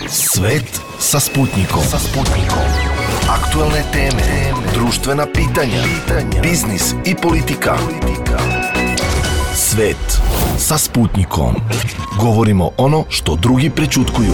Svet sa Sputnikom. Aktualne teme, društvena pitanja, biznis i politika. Svet sa Sputnikom. Govorimo ono što drugi prećutkuju.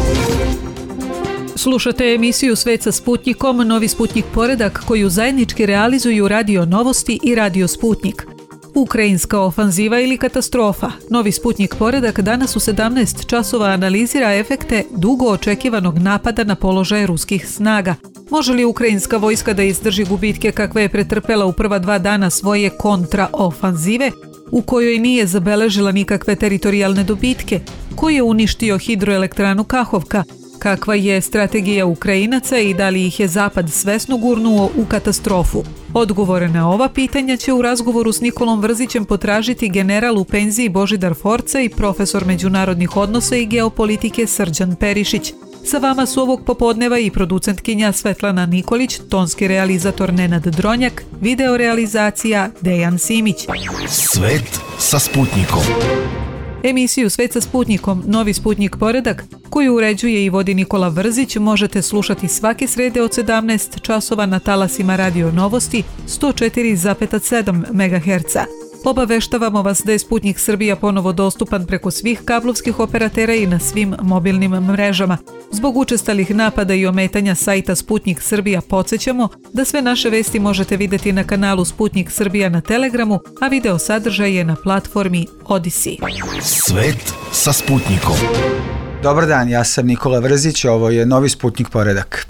Slušate emisiju Svet sa Sputnikom, novi Sputnik poredak koju zajednički realizuju Radio Novosti i Radio Sputnik. Ukrajinska ofanziva ili katastrofa. Novi Sputnik poredak danas u 17 časova analizira efekte dugo očekivanog napada na položaje ruskih snaga. Može li ukrajinska vojska da izdrži gubitke kakve je pretrpela u prva 2 dana svoje kontraofanzive, u kojoj nije zabeležila nikakve teritorijalne dobitke? Ko je uništio hidroelektranu Kahovka? Kakva je strategija Ukrajinaca i da li ih je Zapad svesno gurnuo u katastrofu? Odgovore na ova pitanja će u razgovoru s Nikolom Vrzićem potražiti general u penziji Božidar Forca i profesor međunarodnih odnosa i geopolitike Srđan Perišić. Sa vama su ovog popodneva i producentkinja Svetlana Nikolić, tonski realizator Nenad Dronjak, videorealizacija Dejan Simić. Svet sa Sputnikom. Emisiju Svet sa Sputnikom, novi Sputnik poredak, koju uređuje i vodi Nikola Vrzić, možete slušati svake srede od 17 časova na talasima Radio Novosti 104,7 MHz. Obaveštavamo vas da je Sputnik Srbija ponovo dostupan preko svih kablovskih operatera i na svim mobilnim mrežama. Zbog učestalih napada i ometanja sajta Sputnik Srbija podsjećamo da sve naše vesti možete vidjeti na kanalu Sputnik Srbija na Telegramu, a video sadržaj je na platformi Odisi. Svet sa Sputnikom. Dobar dan, ja sam Nikola Vrzić, ovo je novi Sputnik poredak.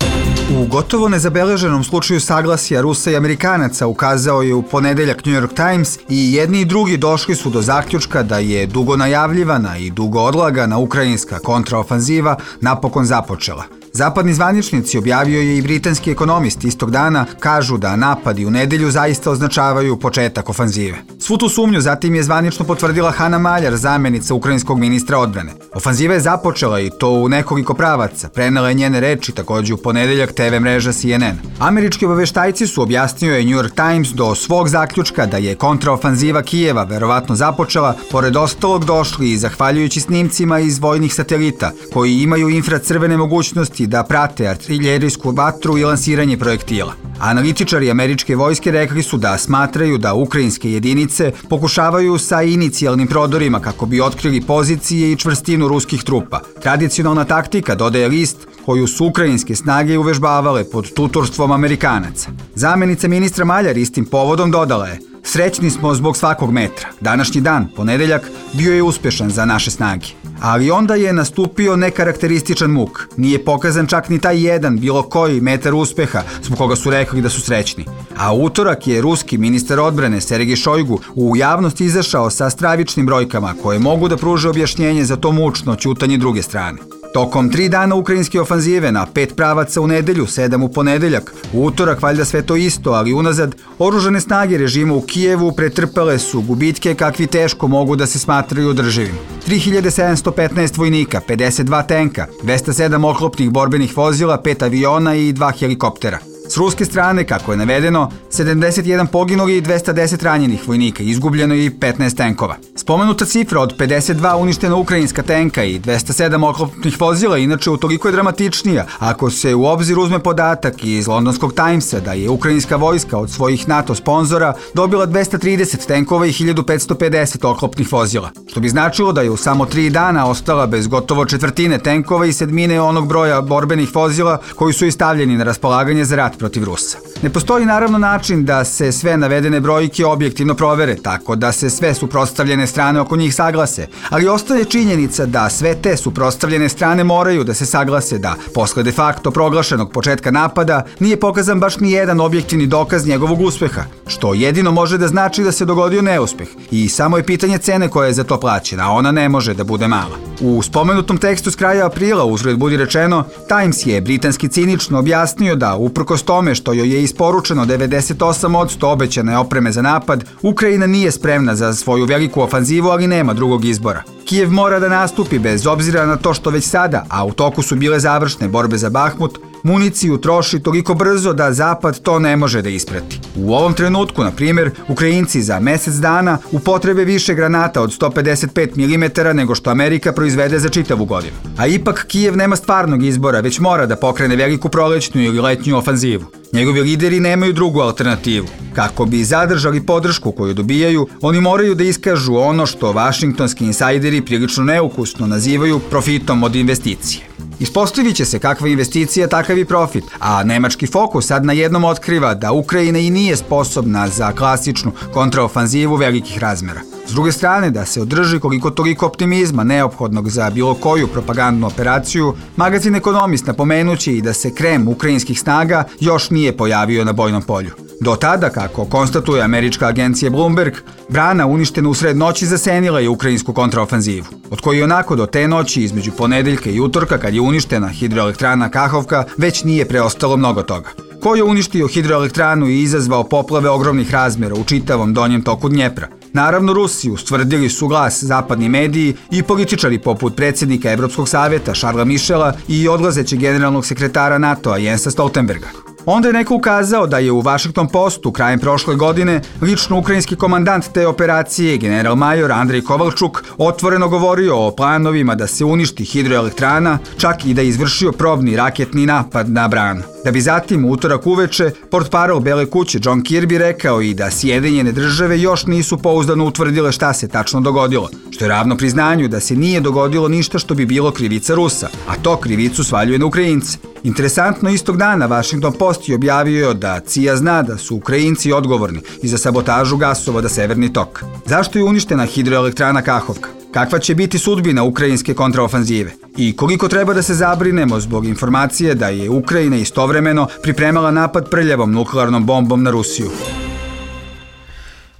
U gotovo nezabeleženom slučaju saglasja Rusa i Amerikanaca ukazao je u ponedeljak New York Times i jedni i drugi došli su do zaključka da je dugo najavljivana i dugo odlagana ukrajinska kontraofanziva napokon započela. Zapadni zvaničnici, objavio je i britanski ekonomist istog dana, kažu da napadi u nedelju zaista označavaju početak ofanzive. Svu tu sumnju zatim je zvanično potvrdila Hana Maljar, zamjenica ukrajinskog ministra odbrane. Ofanziva je započela i to u nekoliko pravaca, prenela je njene reči također u ponedeljak TV mreža CNN. Američki obaveštajci su, objasnio je New York Times, do svog zaključka da je kontraofanziva Kijeva verovatno započela, pored ostalog došli i zahvaljujući snimcima iz vojnih satelita, koji imaju infracrvene mogućnosti da prate artiljerijsku vatru i lansiranje projektila. Analitičari američke vojske rekli su da smatraju da ukrajinske jedinice pokušavaju sa inicijalnim prodorima kako bi otkrili pozicije i čvrstinu ruskih trupa. Tradicionalna taktika, dodaje list, koju su ukrajinske snage uvežbavale pod tutorstvom Amerikanaca. Zamjenica ministra Maljar istim povodom dodala je: srećni smo zbog svakog metra. Današnji dan, ponedeljak, bio je uspješan za naše snage. Ali onda je nastupio nekarakterističan muk. Nije pokazan čak ni taj jedan bilo koji metar uspeha zbog koga su rekli da su srećni. A u utorak je ruski ministar odbrane Sergej Šojgu u javnost izašao sa stravičnim brojkama koje mogu da pruže objašnjenje za to mučno ćutanje druge strane. Tokom 3 dana ukrajinske ofanzive na 5 pravaca u nedelju, 7 u ponedeljak, u utorak valjda sve to isto, ali unazad, oružane snage režima u Kijevu pretrpele su gubitke kakvi teško mogu da se smatraju održivim. 3715 vojnika, 52 tenka, 207 oklopnih borbenih vozila, 5 aviona i 2 helikoptera. S ruske strane, kako je navedeno, 71 poginuli i 210 ranjenih vojnika, izgubljeno i 15 tenkova. Spomenuta cifra od 52 uništena ukrajinska tenka i 207 oklopnih vozila inače utoliko je dramatičnija ako se u obzir uzme podatak iz Londonskog Timesa da je ukrajinska vojska od svojih NATO sponzora dobila 230 tenkova i 1550 oklopnih vozila, što bi značilo da je u samo 3 dana ostala bez gotovo četvrtine tenkova i 1/7 onog broja borbenih vozila koji su stavljeni na raspolaganje za rat protiv Rusa. Ne postoji naravno način da se sve navedene brojke objektivno provere, tako da se sve suprotstavljene strane oko njih saglase, ali ostaje činjenica da sve te suprotstavljene strane moraju da se saglase da posle de facto proglašenog početka napada nije pokazan baš ni jedan objektivni dokaz njegovog uspeha, što jedino može da znači da se dogodio neuspeh i samo je pitanje cene koja je za to plaćena, a ona ne može da bude mala. U spomenutom tekstu s kraja aprila, uzgred budi rečeno, Times je britanski cinično objasnio da uprkos tome što joj je isporučeno 98% obećane opreme za napad, Ukrajina nije spremna za svoju veliku ofanzivu, ali nema drugog izbora. Kijev mora da nastupi bez obzira na to što već sada, a u toku su bile završne borbe za Bahmut, municiju troši toliko brzo da Zapad to ne može da isprati. U ovom trenutku, na primjer, Ukrajinci za mesec dana upotrebe više granata od 155 mm nego što Amerika proizvede za čitavu godinu. A ipak Kijev nema stvarnog izbora, već mora da pokrene veliku prolećnu ili letnju ofanzivu. Njegovi lideri nemaju drugu alternativu. Kako bi zadržali podršku koju dobijaju, oni moraju da iskažu ono što vašingtonski insajderi prilično neukusno nazivaju profitom od investicije. Ispostavit će se kakva investicija, takav i profit, a nemački Fokus sad na jednom otkriva da Ukrajina i nije sposobna za klasičnu kontraofanzivu velikih razmera. S druge strane, da se održi koliko toliko optimizma neophodnog za bilo koju propagandnu operaciju, magazin Ekonomist napomenuće i da se krem ukrajinskih snaga još nije pojavio na bojnom polju. Do tada, kako konstatuje američka agencija Bloomberg, brana uništena usred noći zasenila je ukrajinsku kontraofanzivu, od koje onako do te noći između ponedeljka i utorka, kad je uništena hidroelektrana Kahovka, već nije preostalo mnogo toga. Ko je uništio hidroelektranu i izazvao poplave ogromnih razmera u čitavom donjem toku Dnjepra? Naravno Rusiju, stvrdili su glas zapadni mediji i političari poput predsjednika Evropskog savjeta Šarla Mišela i odlazećeg generalnog sekretara NATO-a Jensa Stoltenberga. Onda je neko ukazao da je u Washington Postu krajem prošle godine lično ukrajinski komandant te operacije, general major Andrej Kovalčuk, otvoreno govorio o planovima da se uništi hidroelektrana, čak i da je izvršio probni raketni napad na branu. Da bi zatim u utorak uveče portparol Bele kuće John Kirby rekao i da Sjedinjene države još nisu pouzdano utvrdile šta se tačno dogodilo, što je ravno priznanju da se nije dogodilo ništa što bi bilo krivica Rusa, a to krivicu svaljuje na Ukrajince. Interesantno, istog dana Washington Post je objavio da CIA zna da su Ukrajinci odgovorni i za sabotažu gasovoda Severni tok. Zašto je uništena hidroelektrana Kahovka? Kakva će biti sudbina ukrajinske kontraofanzive? I koliko treba da se zabrinemo zbog informacije da je Ukrajina istovremeno pripremala napad prljavom nuklearnom bombom na Rusiju?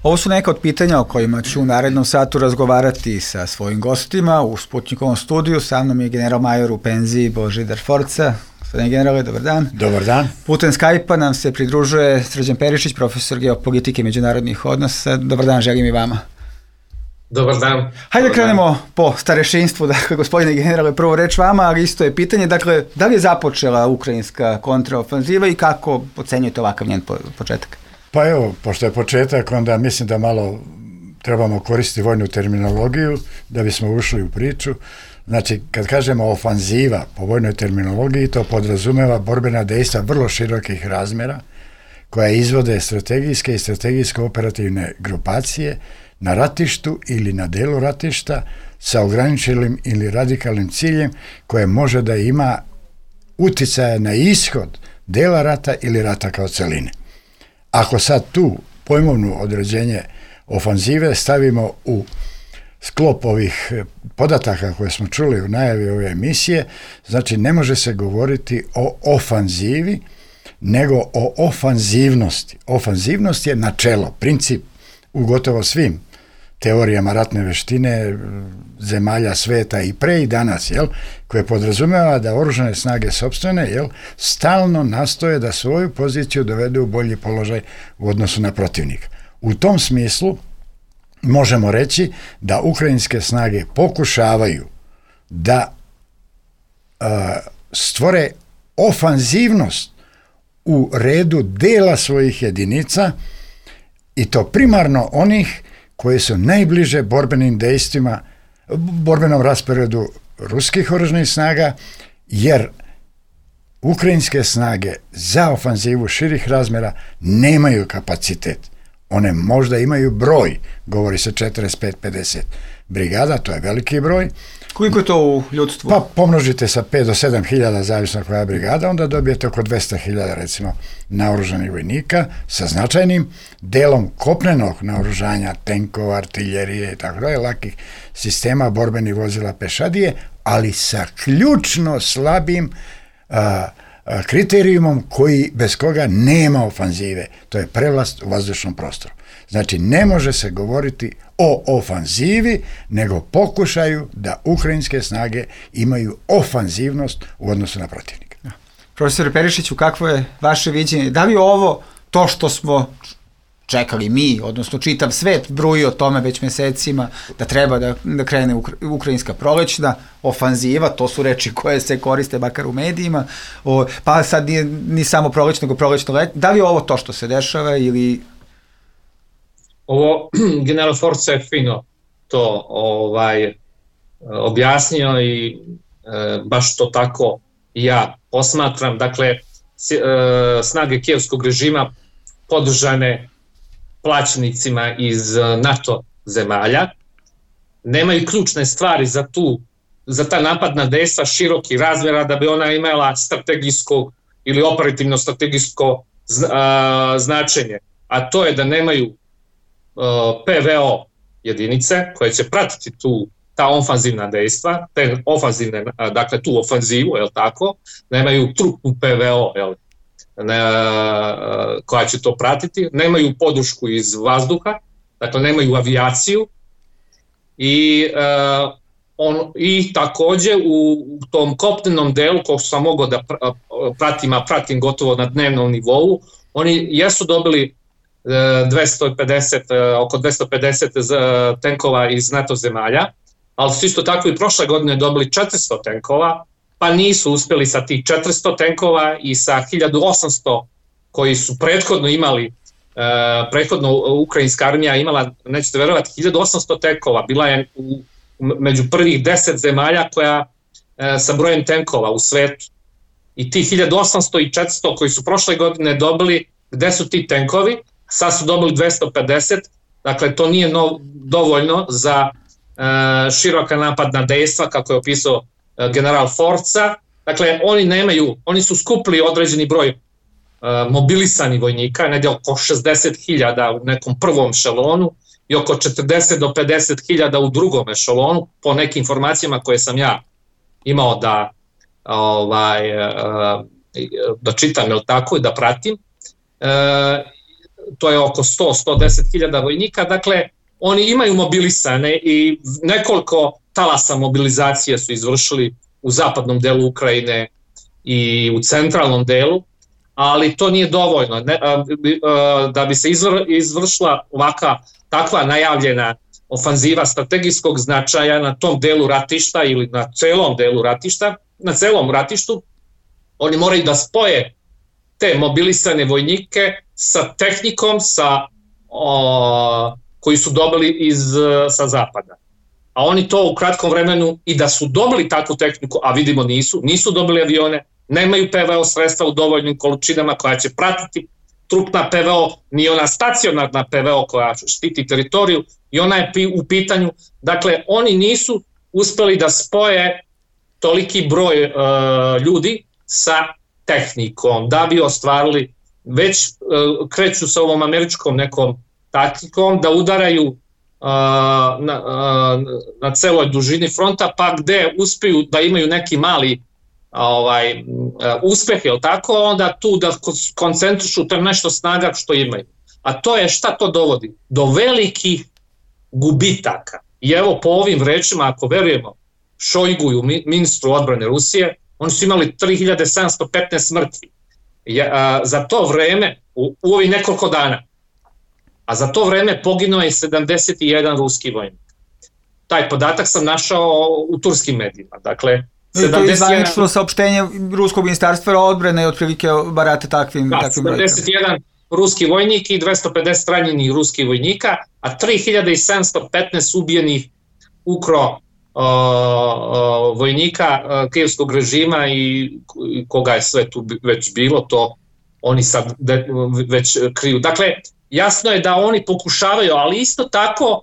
Ovo su neka od pitanja o kojima ću u narednom satu razgovarati sa svojim gostima. U Sputnikovom studiju sa mnom je general major u penziji Božidar Forca. Gospodine generale, dobar dan. Dobar dan. Putem Skype-a nam se pridružuje Srđan Perišić, profesor geopolitike i međunarodnih odnosa. Dobar dan, želim i vama. Dobar dan. Hajde da krenemo po starešinstvu, dakle, gospodine generale, prvo reč vama, ali isto je pitanje, dakle, da li je započela ukrajinska kontraofanziva i kako ocenjujete ovakav njen početak? Pa evo, pošto je početak, onda mislim da malo trebamo koristiti vojnu terminologiju da bismo ušli u priču. Znači, kad kažemo ofanziva po vojnoj terminologiji, to podrazumeva borbena dejstva vrlo širokih razmera, koja izvode strategijske i strategijsko-operativne grupacije na ratištu ili na delu ratišta sa ograničenim ili radikalnim ciljem koje može da ima uticaja na ishod dela rata ili rata kao celine. Ako sad tu pojmovno određenje ofanzive stavimo u sklop ovih podataka koje smo čuli u najavi ove emisije, znači ne može se govoriti o ofanzivi, nego o ofanzivnosti. Ofanzivnost je načelo, princip u gotovo svim teorijama ratne veštine zemalja sveta i pre i danas, koje podrazumeva da oružane snage sopstvene, stalno nastoje da svoju poziciju dovedu u bolji položaj u odnosu na protivnika. U tom smislu možemo reći da ukrajinske snage pokušavaju da stvore ofanzivnost u redu dela svojih jedinica i to primarno onih koje su najbliže borbenim dejstvima, borbenom rasporedu ruskih oružanih snaga, jer ukrajinske snage za ofanzivu širih razmera nemaju kapacitet. One možda imaju broj, govori se 45-50 brigada, to je veliki broj. Koliko je to u ljudstvu? Pa pomnožite sa 5 do 7 hiljada, zavisno koja brigada, onda dobijete oko 200 hiljada, recimo, naoružanih vojnika sa značajnim delom kopnenog naoružanja, tenkova, artiljerije i tako dalje, lakih sistema, borbenih vozila, pešadije, ali sa ključno slabim kriterijumom bez koga nema ofanzive. To je prevlast u vazdušnom prostoru. Znači, ne može se govoriti o ofanzivi, nego pokušaju da ukrajinske snage imaju ofanzivnost u odnosu na protivnika. Profesor Perišiću, kakvo je vaše viđenje? Da li ovo to što smo čekali mi, odnosno čitav svet bruji o tome već mesecima da treba da krene ukrajinska prolećna ofanziva, to su reči koje se koriste makar u medijima, pa sad nije ni samo prolećno, nego prolećno let. Da li je ovo to što se dešava ili... Ovo general Forca je fino to objasnio i baš to tako ja posmatram. Dakle, snage kijevskog režima podržane plaćenicima iz NATO zemalja nemaju ključne stvari za ta napadna dejstva široki razmjera da bi ona imala strategijsko ili operativno strategijsko značenje, a to je da nemaju PVO jedinice koje će pratiti ta ofanzivna dejstva, dakle tu ofanzivu, je li tako, nemaju trupnu PVO, je li, koja će to pratiti, nemaju podršku iz vazduha, dakle nemaju avijaciju i takođe u tom kopnenom delu kog sam mogao da pratim gotovo na dnevnom nivou, oni jesu dobili oko 250 tenkova iz NATO zemalja, ali su isto tako i prošle godine dobili 400 tenkova, pa nisu uspjeli sa tih 400 tenkova i sa 1800 koji su prethodno imali, prethodno ukrajinska armija imala, nećete verovati, 1800 tenkova, bila je među prvih 10 zemalja koja sa brojem tenkova u svetu. I ti 1800 i 400 koji su prošle godine dobili, gde su ti tenkovi? Sad su dobili 250, dakle to nije dovoljno za široka napadna dejstva, kako je opisao general Forca. Dakle, oni su skupili određeni broj mobilisani vojnika, negdje oko 60.000 u nekom prvom ešelonu i oko 40 do 50.000 u drugom ešelonu, po nekim informacijama koje sam ja imao da čitam, je li tako, i da pratim. To je oko 100-110.000 vojnika, dakle, oni imaju mobilisane i nekoliko talasa mobilizacije su izvršili u zapadnom delu Ukrajine i u centralnom delu, ali to nije dovoljno. Da bi se izvršila takva najavljena ofanziva strategijskog značaja na tom delu ratišta ili na celom delu ratišta, na celom ratištu, oni moraju da spoje te mobilisane vojnike sa tehnikom koji su dobili sa zapada. A oni to u kratkom vremenu, i da su dobili takvu tehniku, a vidimo nisu dobili avione, nemaju PVO sredstva u dovoljnim količinama koja će pratiti trupna PVO, ni ona stacionarna PVO koja štiti teritoriju, i ona je u pitanju. Dakle, oni nisu uspeli da spoje toliki broj ljudi sa tehnikom, da bi ostvarili, već kreću sa ovom američkom nekom taktikom da udaraju na celoj dužini fronta, pa gde uspiju da imaju neki mali uspeh, je li tako, onda tu da koncentrišu to nešto snaga što imaju. A to je, šta to dovodi? Do velikih gubitaka. I evo po ovim rečima, ako verujemo Šojguju, ministru odbrane Rusije, oni su imali 3715 mrtvi. Za to vreme, u ovih nekoliko dana, a za to vreme poginuo je 71 ruski vojnik. Taj podatak sam našao u turskim medijima. Dakle, to je zvanično saopštenje Ruskog ministarstva odbrane, otprilike barate takvim brojkama. 71 ruski vojnik i 250 ranjenih ruskih vojnika, a 3715 ubijenih ukro vojnika kijevskog režima i koga je sve tu već bilo, to oni sad već kriju. Dakle, jasno je da oni pokušavaju, ali isto tako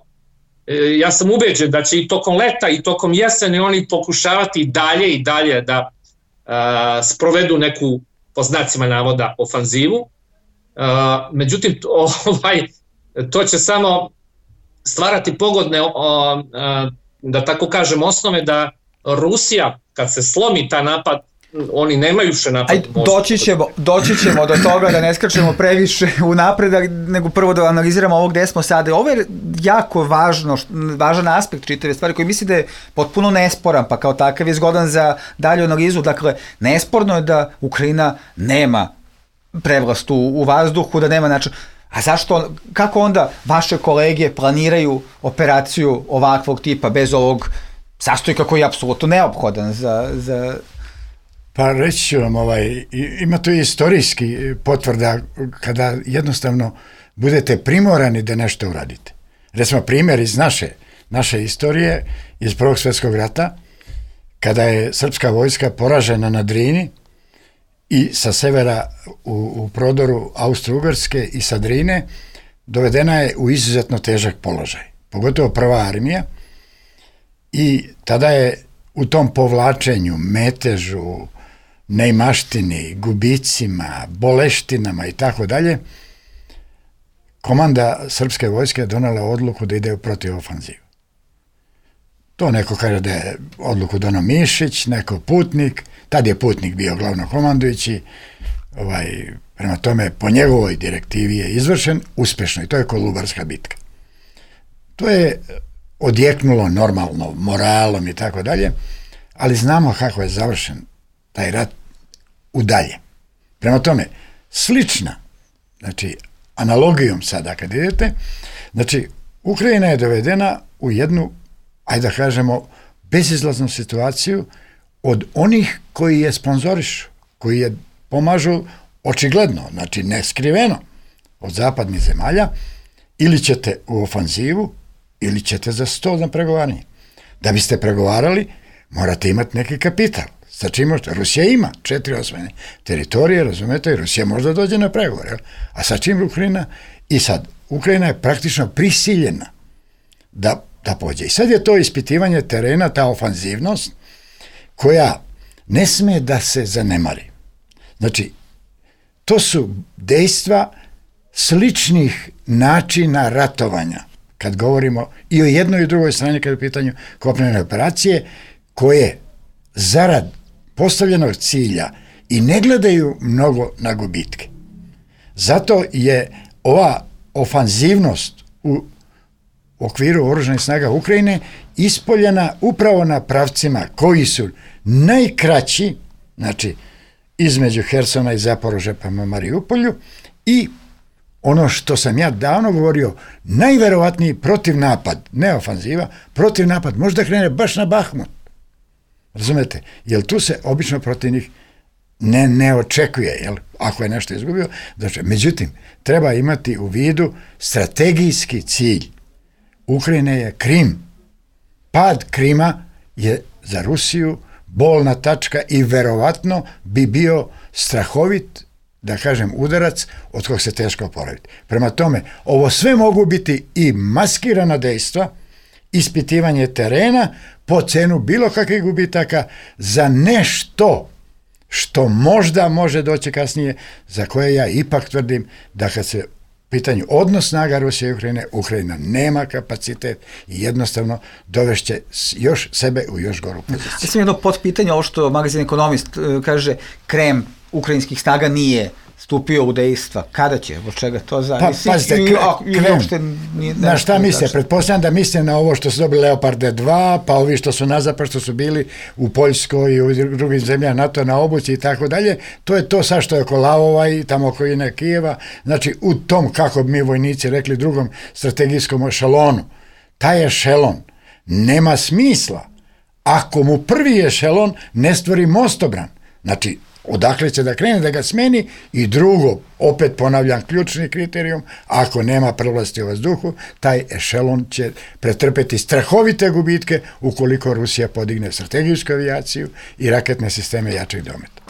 ja sam ubeđen da će i tokom leta i tokom jesene oni pokušavati dalje i dalje da sprovedu neku, po znacima navoda, ofanzivu. Međutim, to će samo stvarati pogodne, da tako kažem, osnove da Rusija, kad se slomi ta napad, oni nemaju više napad. Doći ćemo do toga, da ne skačemo previše u napredak, nego prvo da analiziramo ovo gde smo sada. Ovo je jako važan aspekt čitave stvari koji misli da je potpuno nesporan, pa kao takav je zgodan za dalju analizu. Dakle, nesporno je da Ukrajina nema prevlast u vazduhu, da nema način. A zašto, kako onda vaše kolege planiraju operaciju ovakvog tipa bez ovog sastojka koji je apsolutno neophodan za... Pa reći ću vam, ima to i istorijski potvrda kada jednostavno budete primorani da nešto uradite. Recimo primjer iz naše istorije, iz Prvog svjetskog rata, kada je srpska vojska poražena na Drini i sa severa u prodoru Austro-Ugarske i sa Drine, dovedena je u izuzetno težak položaj, pogotovo prva armija, i tada je u tom povlačenju, metežu, neimaštini, gubicima, boleštinama i tako dalje, komanda srpske vojske donala odluku da ide u protivofanzivu. To neko kaže da je odluku donao Mišić, neko Putnik, tad je Putnik bio glavnokomandujući, prema tome po njegovoj direktivi je izvršen uspešno i to je Kolubarska bitka. To je odjeknulo normalno moralom i tako dalje, ali znamo kako je završen taj rat udalje. Prema tome, slična, znači analogijom sada kad idete, znači Ukrajina je dovedena u jednu, ajde da kažemo, bezizlaznu situaciju od onih koji je sponzorišu, koji je pomažu očigledno, znači neskriveno od zapadnih zemalja, ili ćete u ofanzivu, ili ćete za sto na pregovaranje. Da biste pregovarali, morate imati neki kapital. Sa čim možete? Rusija ima 4 osvojene teritorije, razumete, i Rusija možda dođe na pregovore. A sa čim Ukrajina? I sad, Ukrajina je praktično prisiljena da pođe. I sad je to ispitivanje terena, ta ofanzivnost, koja ne sme da se zanemari. Znači, to su dejstva sličnih načina ratovanja, kad govorimo i o jednoj i drugoj strani kad je u pitanju kopnene operacije, koje zarad postavljenog cilja i ne gledaju mnogo na gubitke. Zato je ova ofanzivnost u okviru oružanih snaga Ukrajine ispoljena upravo na pravcima koji su najkraći, znači između Hersona i Zaporožja prema Mariupolju, i ono što sam ja davno govorio, najverovatniji protivnapad, ne ofanziva, protivnapad možda krene baš na Bahmut. Razumete? Jer tu se obično protivnik ne očekuje, jel? Ako je nešto izgubio. Međutim, treba imati u vidu strategijski cilj Ukrajine je Krim. Pad Krima je za Rusiju bolna tačka i verovatno bi bio strahovit, da kažem, udarac od kog se teško oporaviti. Prema tome, ovo sve mogu biti i maskirana dejstva, ispitivanje terena po cenu bilo kakvih gubitaka za nešto što možda može doći kasnije, za koje ja ipak tvrdim da kad se pitanju odnos snaga Rusije i Ukrajine, Ukrajina nema kapacitet i jednostavno dovešće još sebe u još goru poziciju. Mislim jedno potpitanje, ovo što magazin Ekonomist kaže, krem ukrajinskih snaga nije stupio u dejstva. Kada će? Od čega to zavisi? Pa pazite, na šta misle? Pretpostavljam da misle na ovo što su dobili Leoparde 2, pa ovi što su nazapad, što su bili u Poljskoj i u drugim zemljama NATO na obuci i tako dalje. To je to sad što je oko Lavova i tamo oko ine Kijeva. Znači, u tom, kako bi mi vojnici rekli, drugom strategijskom ešelonu. Taj ešelon nema smisla ako mu prvi ešelon ne stvori mostobran. Znači, odakle će da krene, da ga smeni, i drugo, opet ponavljam, ključni kriterijum, ako nema prevlasti u vazduhu, taj ešelon će pretrpeti strahovite gubitke ukoliko Rusija podigne strategijsku avijaciju i raketne sisteme jačeg dometa.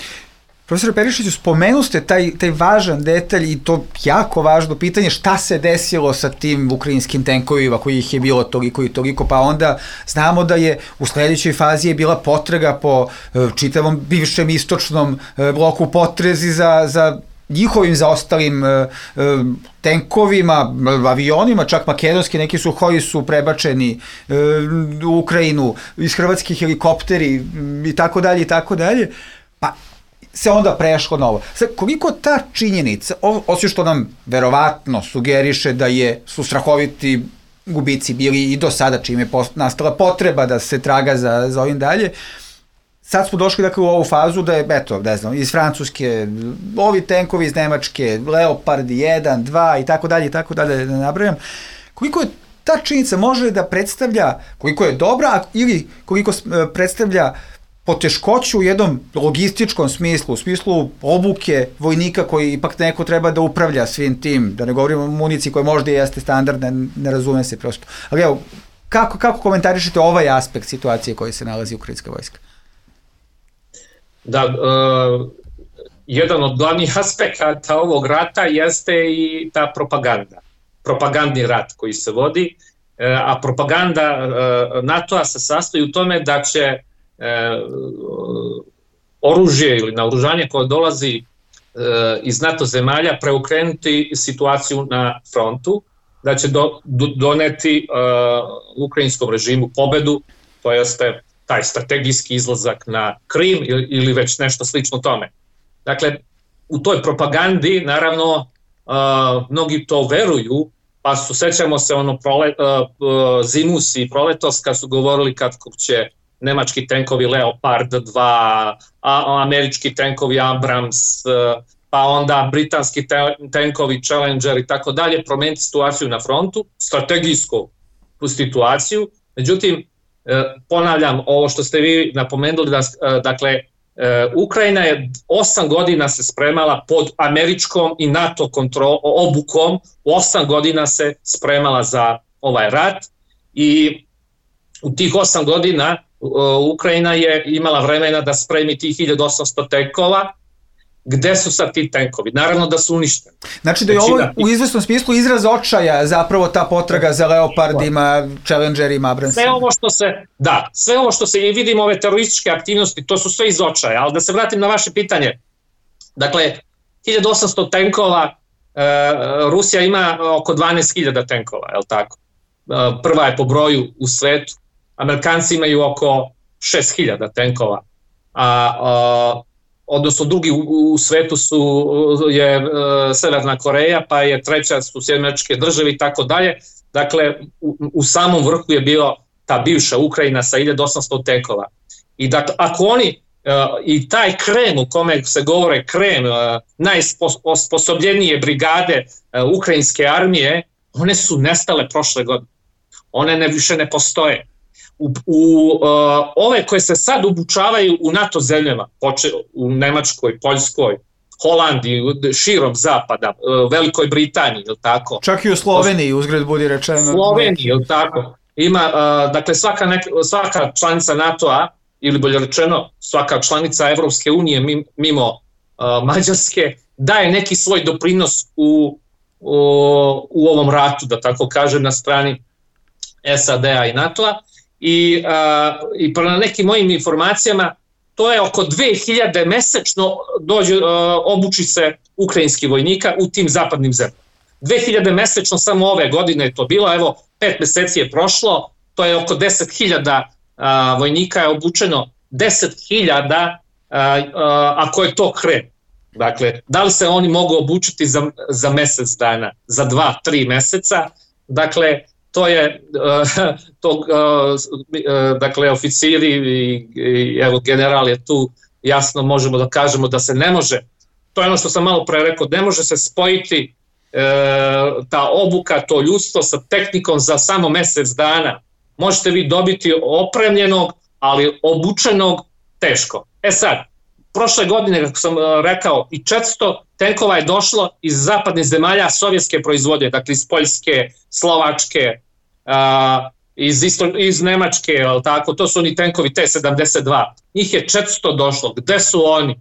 Profesor Perišiću, spomenuste taj važan detalj i to jako važno pitanje, šta se desilo sa tim ukrajinskim tenkovima koji ih je bilo toliko i toliko, pa onda znamo da je u sledećoj fazi je bila potraga po čitavom bivšem istočnom bloku, potrezi za njihovim zaostalim tenkovima, avionima, čak makedonski, neki Suhoi su prebačeni u Ukrajinu, iz Hrvatskih helikopteri i tako dalje i tako dalje. Pa se onda prešlo na ovo. Sad, koliko ta činjenica, osim što nam verovatno sugeriše da su strahoviti gubici bili i do sada, čim je nastala potreba da se traga za ovim dalje, sad smo došli dakle u ovu fazu da je, eto, ne znam, iz Francuske, ovi tenkovi iz Nemačke, Leopard 1, 2 i tako dalje, da nabrajam. Koliko je ta činjenica može da predstavlja, koliko je dobra ili koliko predstavlja poteškoću u jednom logističkom smislu, u smislu obuke vojnika koji ipak neko treba da upravlja svim tim, da ne govorimo o municiji koja možda jeste standardna, ne razume se prosto. Ali evo, kako komentarišete ovaj aspekt situacije koji se nalazi ukrajinska vojska? Da, jedan od glavnih aspekata ovog rata jeste i ta propaganda. Propagandni rat koji se vodi, a propaganda NATO-a se sastoji u tome da će oružje ili naoružanje koje dolazi iz NATO zemalja preokrenuti situaciju na frontu, da će doneti ukrajinskom režimu pobedu, to jeste taj strategijski izlazak na Krim ili već nešto slično tome. Dakle, u toj propagandi, naravno, mnogi to veruju, pa sećamo se zimus i proletos kad su govorili kako će nemački tenkovi Leopard 2, američki tenkovi Abrams, pa onda britanski tenkovi Challenger i tako dalje, promeniti situaciju na frontu, strategijsku situaciju. Međutim, ponavljam ovo što ste vi napomenuli, dakle, Ukrajina je 8 godina se spremala pod američkom i NATO obukom, 8 godina se spremala za ovaj rat i u tih 8 godina Ukrajina je imala vremena da spremi tih 1800 tenkova. Gde su sad ti tenkovi? Naravno da su uništeni. Znači da je ovo u izvesnom smislu izraz očaja zapravo ta potraga za Leopardima, Challengerima, Abramsima. Sve ovo što se i vidimo, ove terorističke aktivnosti, to su sve iz očaja, ali da se vratim na vaše pitanje. Dakle, 1800 tenkova, Rusija ima oko 12.000 tenkova, je li tako? Prva je po broju u svetu, Amerikanci imaju oko 6.000 tenkova, odnosno drugi u svetu je Severna Koreja, pa je treća su Sjedinjene Američke Države i tako dalje. Dakle, u samom vrhu je bio ta bivša Ukrajina sa 1800 tenkova. I dakle, ako oni i taj Krem u kome se govore Krem, najsposobljenije brigade ukrajinske armije, one su nestale prošle godine. One više ne postoje. Ove koje se sad obučavaju u NATO zemljama, u Nemačkoj, Poljskoj, Holandiji, širom zapada, Velikoj Britaniji, je li tako? Čak i u Sloveniji, uzgred budi rečeno. Sloveniji, je li tako? Ima, dakle, svaka članica NATO-a, ili bolje rečeno, svaka članica Evropske unije mimo Mađarske, daje neki svoj doprinos u ovom ratu, da tako kažem, na strani SAD-a i NATO-a. I prema nekim mojim informacijama to je oko 2000 mesečno obuči se ukrajinski vojnika u tim zapadnim zemljama. 2000 mesečno samo ove godine je to bilo, evo 5 meseci je prošlo, to je oko 10.000 vojnika je obučeno, 10.000 ako je to Krem. Dakle, da li se oni mogu obučiti za mesec dana, za 2-3 meseca, dakle, to je, dakle, oficiri i evo general je tu, jasno možemo da kažemo da se ne može, to je ono što sam malo pre rekao, ne može se spojiti ta obuka, to ljudstvo sa tehnikom za samo mesec dana. Možete vi dobiti opremljenog, ali obučenog teško. Sad, prošle godine, kako sam rekao, i 400 tenkova je došlo iz zapadnih zemalja sovjetske proizvodnje, dakle iz Poljske, Slovačke, iz Nemačke, tako, to su oni tenkovi T-72. Njih je 400 došlo. Gde su oni?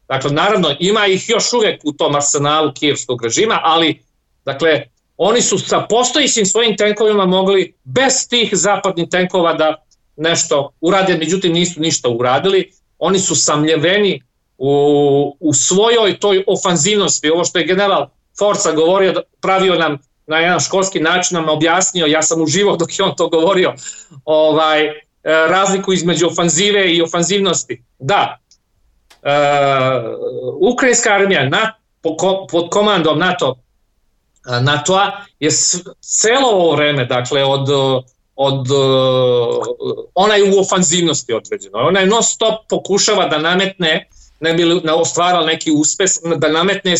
Dakle, naravno, ima ih još uvek u tom arsenalu kijevskog režima, ali, dakle, oni su sa postojićim svojim tenkovima mogli bez tih zapadnih tenkova da nešto urade, međutim nisu ništa uradili. Oni su samljeveni u svojoj toj ofanzivnosti. Ovo što je general Forca govorio, pravio nam na jedan školski način, nam objasnio, ja sam uživao dok je on to govorio, razliku između ofanzive i ofanzivnosti. Da, ukrajinska armija pod komandom NATO-a je celo ovo vreme, dakle od ona je u ofanzivnosti određena. Ona je non stop pokušava da nametne, ne bi ostvarala neki uspeh, da nametne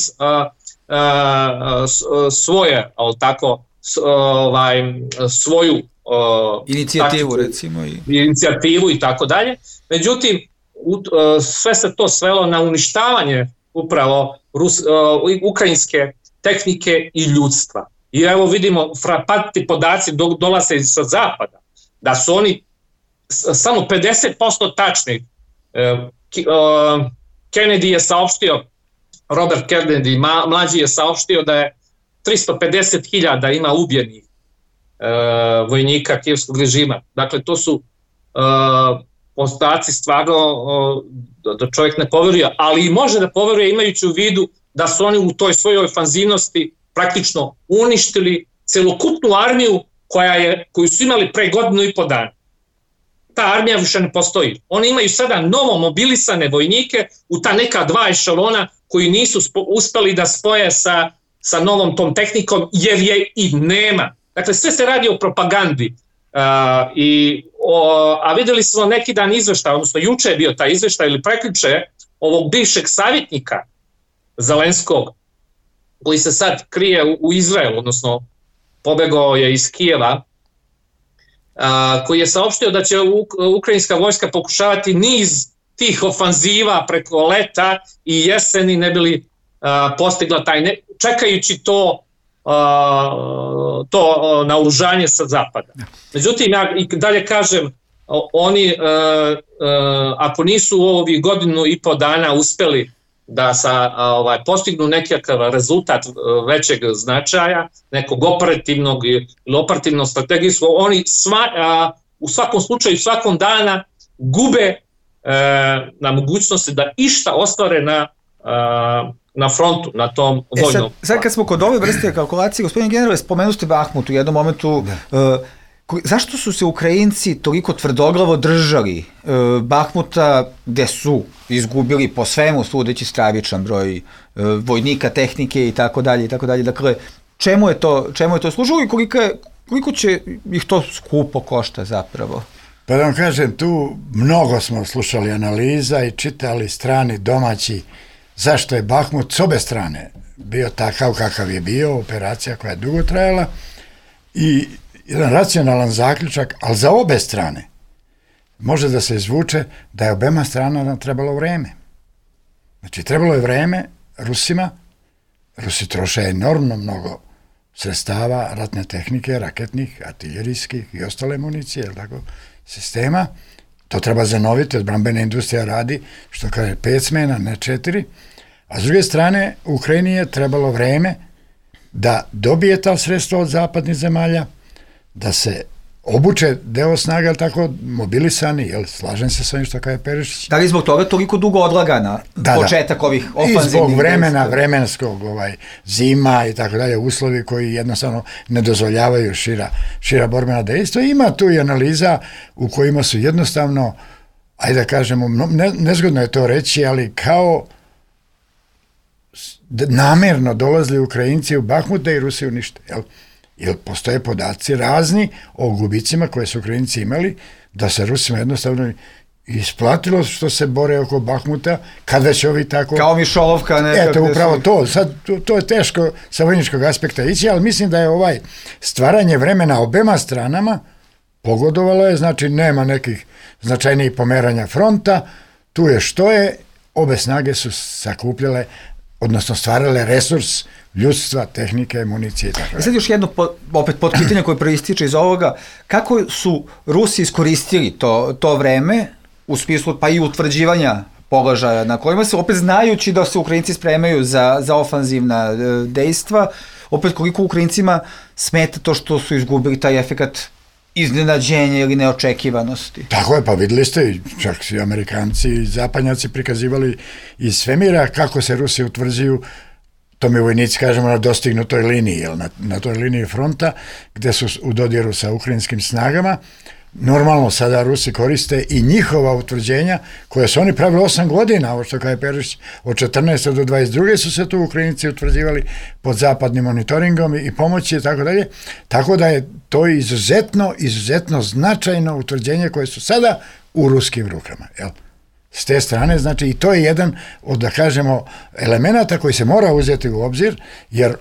svoje, svoju inicijativu, taktiku, recimo. Inicijativu i tako dalje. Međutim, sve se to svelo na uništavanje upravo ukrajinske tehnike i ljudstva. I evo vidimo, frapantni podaci dolaze sa zapada, da su oni samo 50% tačni. Kennedy je saopštio, Robert Kennedy, mlađi je saopštio da je 350.000 ima ubijenih vojnika kijevskog režima. Dakle, to su podaci stvarno da čovjek ne poveruje, ali i može da poveruje imajući u vidu da su oni u toj svojoj ofanzivnosti praktično uništili celokupnu armiju koju su imali pre 1.5 godina. Ta armija više ne postoji. Oni imaju sada novo mobilisane vojnike u ta neka 2 ešalona koji nisu uspeli da spoje sa novom tom tehnikom, jer je i nema. Dakle, sve se radi o propagandi. A videli smo neki dan izveštaj, odnosno juče je bio taj izveštaj ili prekjuče ovog bivšeg savjetnika Zelenskog, koji se sad krije u Izraelu, odnosno pobegao je iz Kijeva, koji je saopštio da će ukrajinska vojska pokušavati niz tih ofanziva preko leta i jeseni ne bili postigla čekajući to naoružanje sa zapada. Međutim, ja i dalje kažem, oni ako nisu u ovih 1.5 dana uspeli da postignu nekakav rezultat većeg značaja, nekog operativnog ili operativnog strategijskog, oni u svakom slučaju, svakom dana gube na mogućnosti da išta ostvare na frontu, na tom vojnom. Sad kad smo kod ove vrste kalkulacije, gospodin generale, spomenuli ste Bahmut u jednom momentu. Zašto su se Ukrajinci toliko tvrdoglavo držali Bahmuta, gde su izgubili po svemu sudeći stravičan broj vojnika, tehnike i tako dalje? Dakle, čemu je to služilo i koliko će ih to skupo košta zapravo? Pa da vam kažem, tu mnogo smo slušali analiza i čitali strani, domaći, zašto je Bahmut s obe strane bio takav kakav je bio, operacija koja je dugo trajala i jedan racionalan zaključak, ali za obe strane može da se izvuče da je obema stranama trebalo vreme. Znači, trebalo je vreme Rusima, Rusi troše enormno mnogo sredstava, ratne tehnike, raketnih, artiljerijskih i ostale municije, sistema. To treba zanoviti, odbrambena industrija radi, što kaže 5 smena, ne 4. A s druge strane, Ukrajini je trebalo vreme da dobije ta sredstva od zapadnih zemalja, da se obuče deo snaga, tako mobilisani, slažem se sa ovim što kaže Perišić. Da li zbog toga toliko dugo odlagana početak ovih ofanzivnih? I zbog vremena, vremenskog zima i tako dalje, uslovi koji jednostavno ne dozvoljavaju šira borbena dejstva. Ima tu i analiza u kojima su jednostavno, ajde da kažemo, nezgodno je to reći, ali kao namerno dolazili Ukrajinci u Bahmut da i Rusi unište, jer postoje podaci razni o gubicima koje su Ukrajinci imali, da se Rusima jednostavno isplatilo što se bore oko Bahmuta, kad već ovi tako... Kao Mišolovka nekako... Eto, upravo to. Sad, to je teško sa vojničkog aspekta ići, ali mislim da je stvaranje vremena obema stranama pogodovalo je, znači nema nekih značajnijih pomeranja fronta, tu je što je, obe snage su sakupljale, odnosno stvarale resurs ljudstva, tehnike, municije i tako. Sad još jedno opet podpitanje koje proističe iz ovoga, kako su Rusi iskoristili to vreme u smislu pa i utvrđivanja položaja na kojima se, opet znajući da se Ukrajinci spremaju za ofanzivna dejstva, opet koliko Ukrajincima smeta to što su izgubili taj efekat iznenađenja ili neočekivanosti. Tako je, pa videli ste, čak i Amerikanci i Zapadnjaci prikazivali iz svemira kako se Rusi utvrđuju, to mi vojnici kažemo na dostignutoj liniji, na toj liniji fronta, gde su u dodiru sa ukrajinskim snagama, normalno sada Rusi koriste i njihova utvrđenja koje su oni pravili 8 godina, ovo što kaže Perišić, od 14. do 22. su se tu Ukrajinci utvrđivali pod zapadnim monitoringom i pomoći i tako dalje, tako da je to izuzetno značajno utvrđenje koje su sada u ruskim rukama, jel? S te strane, znači i to je jedan od, da kažemo, elemenata koji se mora uzeti u obzir, jer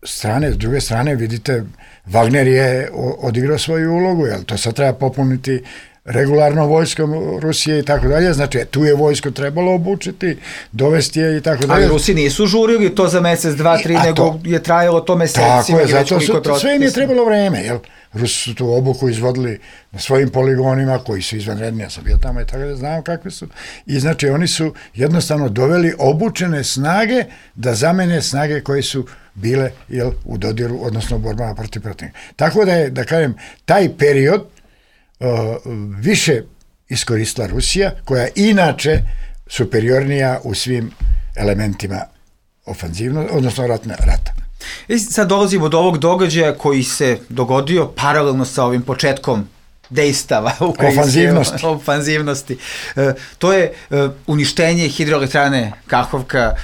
s druge strane, vidite, Wagner je odigrao svoju ulogu, jel? To sad treba popuniti regularno vojskom Rusije i tako dalje, znači tu je vojsko trebalo obučiti, dovesti je i tako dalje. Ali Rusi nisu žurili to za mesec, 2, 3, nego je trajalo to mesecima. Tako je, zato sve im je trebalo vreme, jel? Rusi su tu obuku izvodili na svojim poligonima koji su izvanredni, ja sam bio tamo i tako da znam kakve su. I znači oni su jednostavno doveli obučene snage da zamene snage koje su bile, jel, u dodiru, odnosno u borbama protiv protivnika. Tako da je, da kažem, taj period više iskoristila Rusija, koja je inače superiornija u svim elementima ofanzivno, odnosno rata. I sad dolazimo do ovog događaja koji se dogodio paralelno sa ovim početkom dejstava ofanzivnosti. To je uništenje hidroelektrane Kahovka.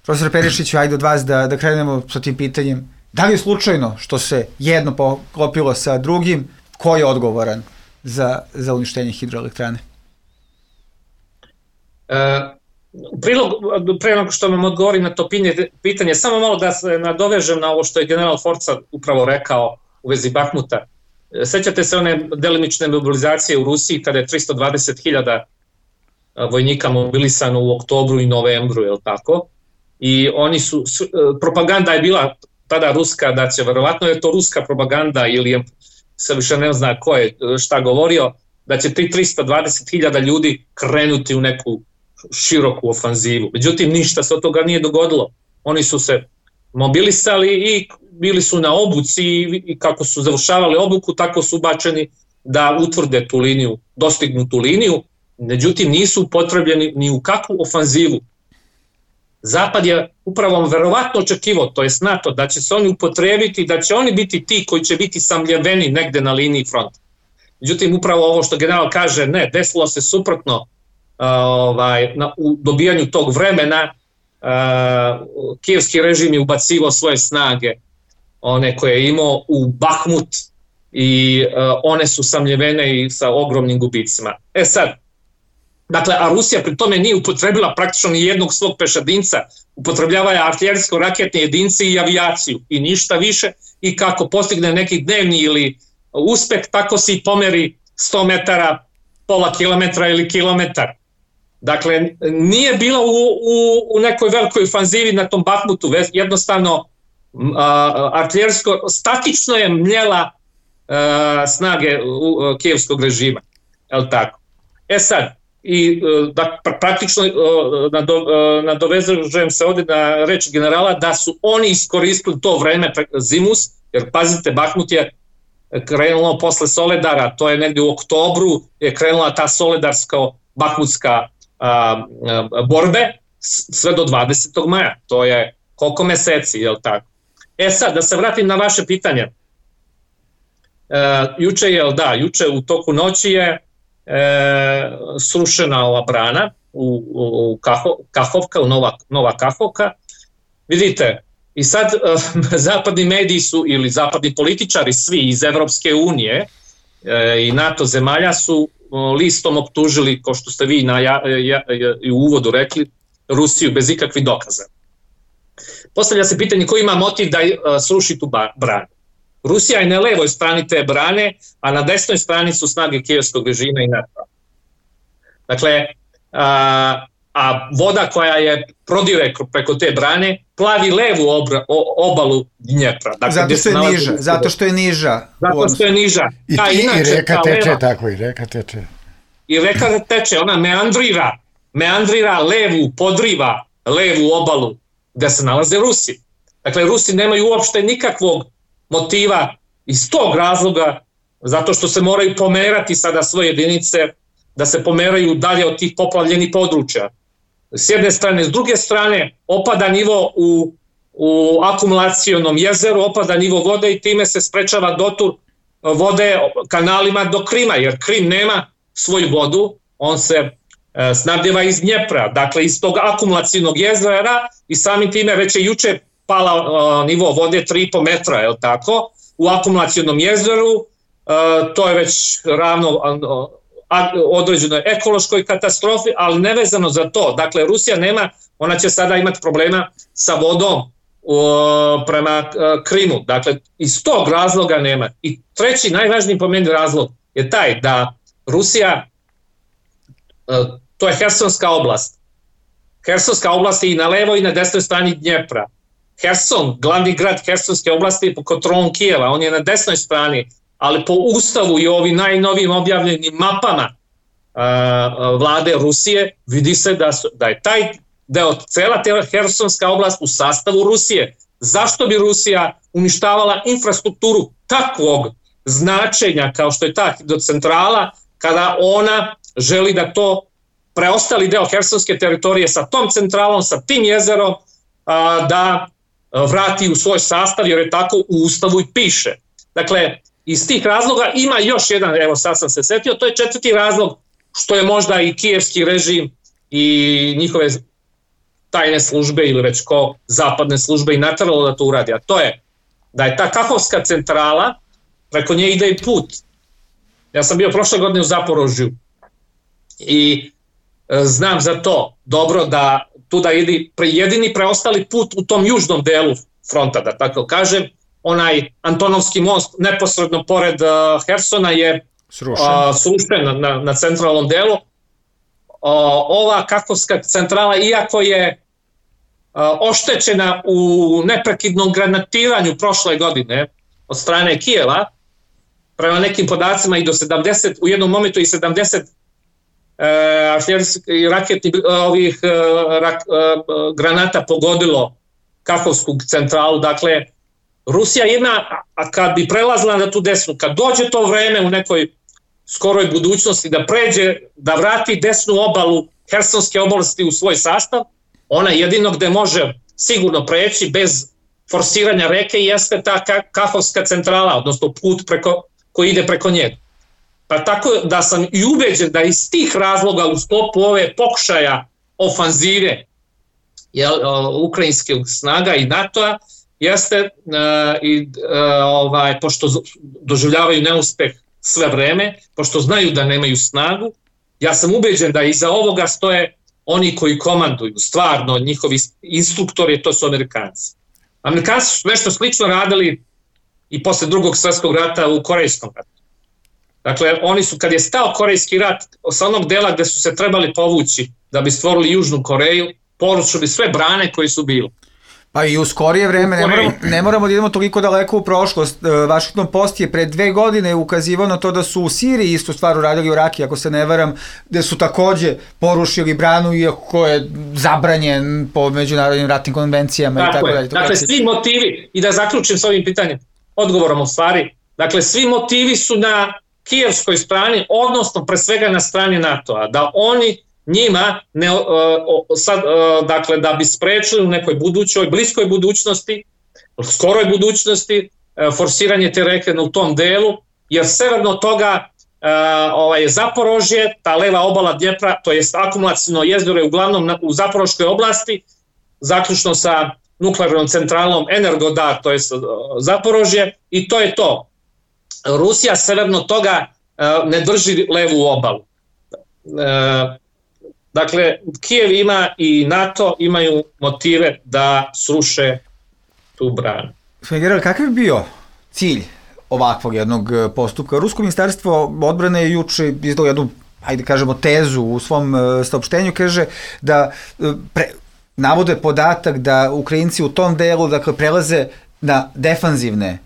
Profesor Perišić, ajde od vas da krenemo sa tim pitanjem. Da li je slučajno što se jedno poklopilo sa drugim? Ko je odgovoran za uništenje hidroelektrane? Pre nego što vam odgovorim na to pitanje, samo malo da se nadovežem na ovo što je general Forca upravo rekao u vezi Bahmuta. Sećate se one delimične mobilizacije u Rusiji kada je 320.000 vojnika mobilisano u oktobru i novembru, je li tako? I oni su, propaganda je bila tada ruska, da će verovatno je to ruska propaganda ili je, se više ne zna ko je šta govorio, da će ti 320.000 ljudi krenuti u neku široku ofanzivu. Međutim, ništa se od toga nije dogodilo. Oni su se mobilisali i bili su na obuci i kako su završavali obuku, tako su ubačeni da utvrde tu liniju, dostignu tu liniju, međutim nisu upotrebljeni ni u kakvu ofanzivu. Zapad je upravo verovatno očekivao, to je NATO, da će se oni upotrebiti, da će oni biti ti koji će biti samljeveni negde na liniji fronta. Međutim, upravo ovo što general kaže, ne, desilo se suprotno u dobijanju tog vremena. Kijevski režim je ubacivao svoje snage, one koje je imao u Bahmut i one su samljevene i sa ogromnim gubicima. Sad, dakle, a Rusija pri tome nije upotrebila praktično ni jednog svog pešadinca, upotrebljava je artiljerijsko-raketne jedince i avijaciju i ništa više, i kako postigne neki dnevni ili uspeh, tako se i pomeri 100 metara, pola kilometra ili kilometar. Dakle, nije bila u nekoj velikoj ofanzivi na tom Bahmutu, jednostavno artiljerijsko, statično je mljela snage kijevskog režima, je li tako? Sad, i da praktično nadovezujem se ovdje na reč generala da su oni iskoristili to vreme zimus, jer pazite, Bahmut je krenulo posle Soledara, to je negdje u oktobru je krenula ta soledarsko-bahmutska borbe sve do 20. maja, to je koliko meseci, je li tako? Sad, da se vratim na vaše pitanje. Juče u toku noći je srušena ova brana u Kahovka, u Nova Kahovka. Vidite, i sad zapadni mediji su, ili zapadni političari, svi iz Evropske unije i NATO zemalja su listom optužili, kao što ste vi u uvodu rekli, Rusiju bez ikakvih dokaza. Postavlja se pitanje ko ima motiv da sruši tu branu. Rusija je na levoj strani te brane, a na desnoj strani su snage kijevskog režima i NATO. Dakle, a voda koja je prodire preko te brane plavi levu obalu Dnjepra. Dakle, zato što je niža. I reka teče, tako i reka teče. I reka teče, ona meandrira levu, podriva levu obalu gde se nalaze Rusi. Dakle, Rusi nemaju uopšte nikakvog motiva iz tog razloga, zato što se moraju pomerati sada svoje jedinice, da se pomeraju dalje od tih poplavljenih područja. S jedne strane, s druge strane, opada nivo u akumulacionom jezeru, opada nivo vode i time se sprečava dotur vode kanalima do Krima, jer Krim nema svoju vodu, on se snabdeva iz Dnjepra, dakle iz tog akumulacijnog jezera i samim time već je juče pala nivo vode 3,5 metra, je li tako, u akumulacijnom jezeru, to je već ravno određenoj ekološkoj katastrofi, ali nevezano za to. Dakle, Rusija nema, ona će sada imati problema sa vodom prema Krimu. Dakle, iz tog razloga nema. I treći, najvažniji po meni razlog je taj da Rusija, to je Hersonska oblast. Hersonska oblast je i na levoj i na desnoj strani Dnjepra. Herson, glavni grad Hersonske oblasti je pod kontrolom Kijeva, on je na desnoj strani, ali po ustavu i ovim najnovijim objavljenim mapama vlade Rusije vidi se da je taj deo, cela Hersonska oblast u sastavu Rusije. Zašto bi Rusija uništavala infrastrukturu takvog značenja kao što je ta hidrocentrala kada ona želi da to preostali deo Hersonske teritorije sa tom centralom, sa tim jezerom da vrati u svoj sastav, jer je tako u ustavu i piše. Dakle, iz tih razloga ima još jedan, evo sad sam se setio, to je četvrti razlog što je možda i kijevski režim i njihove tajne službe ili već ko zapadne službe i nateralo da to uradi, a to je da je ta Kahovska centrala, preko nje ide i put. Ja sam bio prošle godine u Zaporožju i znam za to dobro da tuda ide jedini preostali put u tom južnom delu fronta, da tako kažem, onaj Antonovski most neposredno pored Hersona je srušen na centralnom delu. Ova Kahovska centrala, iako je oštećena u neprekidnom granatiranju prošle godine od strane Kijeva, prema nekim podacima i do 70, u jednom momentu i 70 raketnih granata pogodilo Kahovsku centralu. Dakle, Rusija ima, a kad bi prelazila na tu desnu, kad dođe to vreme u nekoj skoroj budućnosti da pređe, da vrati desnu obalu Hersonske oblasti u svoj sastav, ona jedino gde može sigurno preći bez forsiranja reke jeste ta Kahovska centrala, odnosno put koji ide preko njega. Pa tako da sam i ubeđen da iz tih razloga u sklopu ove pokušaja ofanzive ukrajinskih snaga i NATO-a jeste pošto doživljavaju neuspeh sve vreme, pošto znaju da nemaju snagu, ja sam ubeđen da iza ovoga stoje oni koji komanduju, stvarno njihovi instruktori, to su Amerikanci. Amerikanci su nešto slično radili i posle Drugog svjetskog rata u Korejskom ratu. Dakle, oni su, kad je stao Korejski rat, sa onog dela gde su se trebali povući da bi stvorili Južnu Koreju, porušili sve brane koji su bili. Pa i u skorije vreme, ne moramo da idemo toliko daleko u prošlost. Washington Post je pre 2 godine ukazivao na to da su u Siriji istu stvar uradili u Raki, ako se ne varam, gde su takođe porušili branu, iako je zabranjen po međunarodnim ratnim konvencijama. Tako i tako dalje. Dakle, svi motivi, i da zaključim s ovim pitanjem, odgovorom u stvari, dakle, svi motivi su na kijevskoj strani, odnosno pre svega na strani NATO-a, da oni njima dakle, da bi sprečili u nekoj budućoj, bliskoj budućnosti, skoroj budućnosti, forsiranje te reke u tom delu, jer severno od toga je Zaporožje, ta leva obala Dnjepra, to je akumulacijno jezero je uglavnom u Zaporoškoj oblasti, zaključno sa nuklearnom centralom Energodar, to je Zaporožje, i to je to. Rusija severno od toga ne drži levu obalu. Dakle, Kijev ima i NATO imaju motive da sruše tu branu. General, kakav je bio cilj ovakvog jednog postupka? Rusko ministarstvo odbrane je juče izdalo jednu, hajde kažemo, tezu u svom saopštenju, kaže da navode podatak da Ukrajinci u tom delu, dakle, prelaze na defanzivne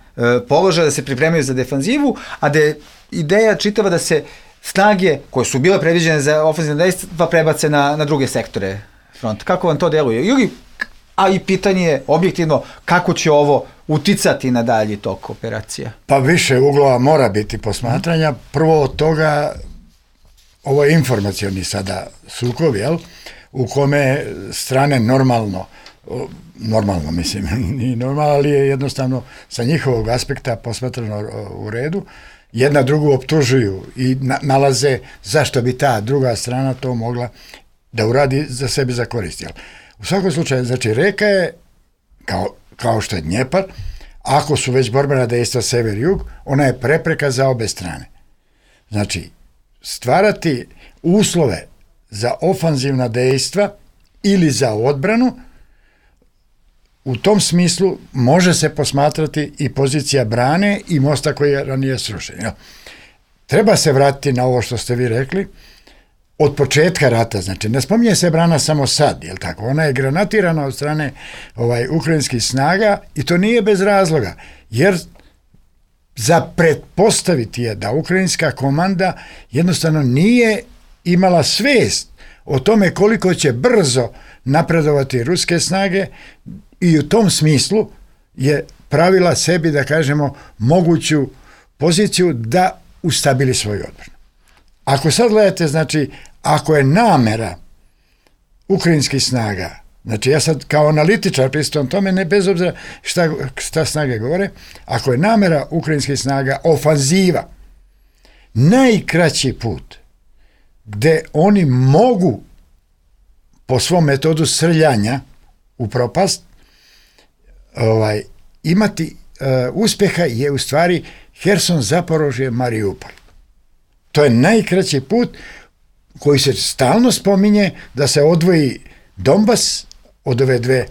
položaje, da se pripremaju za defanzivu, a da je ideja čitava da se snage koje su bile predviđene za ofenzivne dejstva prebace na druge sektore fronta. Kako vam to deluje? A i pitanje je objektivno kako će ovo uticati na dalji tok operacija? Pa više uglova mora biti posmatranja. Prvo od toga, ovo je informacioni sada sukob, u kome strane normalno normalno, mislim, nije normalno, ali je jednostavno sa njihovog aspekta posmatrano u redu. Jedna drugu optužuju i nalaze zašto bi ta druga strana to mogla da uradi za sebi za korist. U svakom slučaju, znači, reka je, kao što je Dnjepar, ako su već borbena dejstva sever-jug, ona je prepreka za obe strane. Znači, stvarati uslove za ofanzivna dejstva ili za odbranu, u tom smislu može se posmatrati i pozicija brane i mosta koji je ranije srušen. Treba se vratiti na ovo što ste vi rekli, od početka rata, znači ne spominje se brana samo sad, jel tako? Ona je granatirana od strane ukrajinskih snaga i to nije bez razloga, jer za pretpostaviti je da ukrajinska komanda jednostavno nije imala svest o tome koliko će brzo napredovati ruske snage i u tom smislu je pravila sebi, da kažemo, moguću poziciju da ustabili svoju odbranu. Ako sad gledate, znači, ako je namera ukrajinskih snaga, znači ja sad kao analitičar pristupam tome, ne bez obzira šta snage govore, ako je namera ukrajinskih snaga ofanziva, najkraći put gde oni mogu po svom metodu srljanja u propast imati uspjeha je u stvari Herson, Zaporožje, Mariupol. To je najkraći put koji se stalno spominje da se odvoji Donbas od ove dve.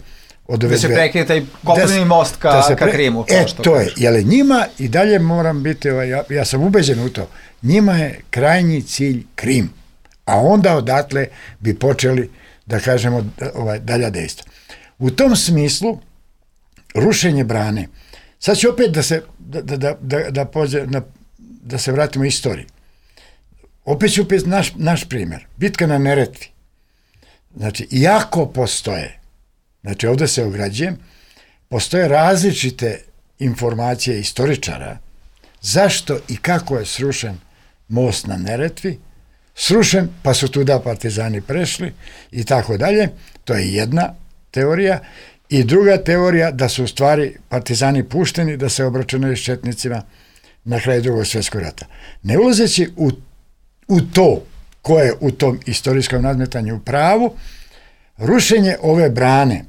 Da se prekine taj kopneni most ka Krimu. To je, jer njima i dalje moram biti, ja sam ubeđen u to, njima je krajnji cilj Krim, a onda odatle bi počeli, da kažemo, dalja dejstva. U tom smislu, rušenje brane, sad ću opet da se vratimo istoriji. Opet ću naš primjer. Bitka na Neretvi. Znači, iako postoje, znači ovdje se ograđujem, postoje različite informacije istoričara zašto i kako je srušen most na Neretvi, srušen pa su tuda partizani prešli i tako dalje. To je jedna teorija. I druga teorija da su u stvari partizani pušteni da se obračunaju s četnicima na kraju Drugog svjetskog rata. Ne ulazeći u to ko je u tom istorijskom nadmetanju u pravu, rušenje ove brane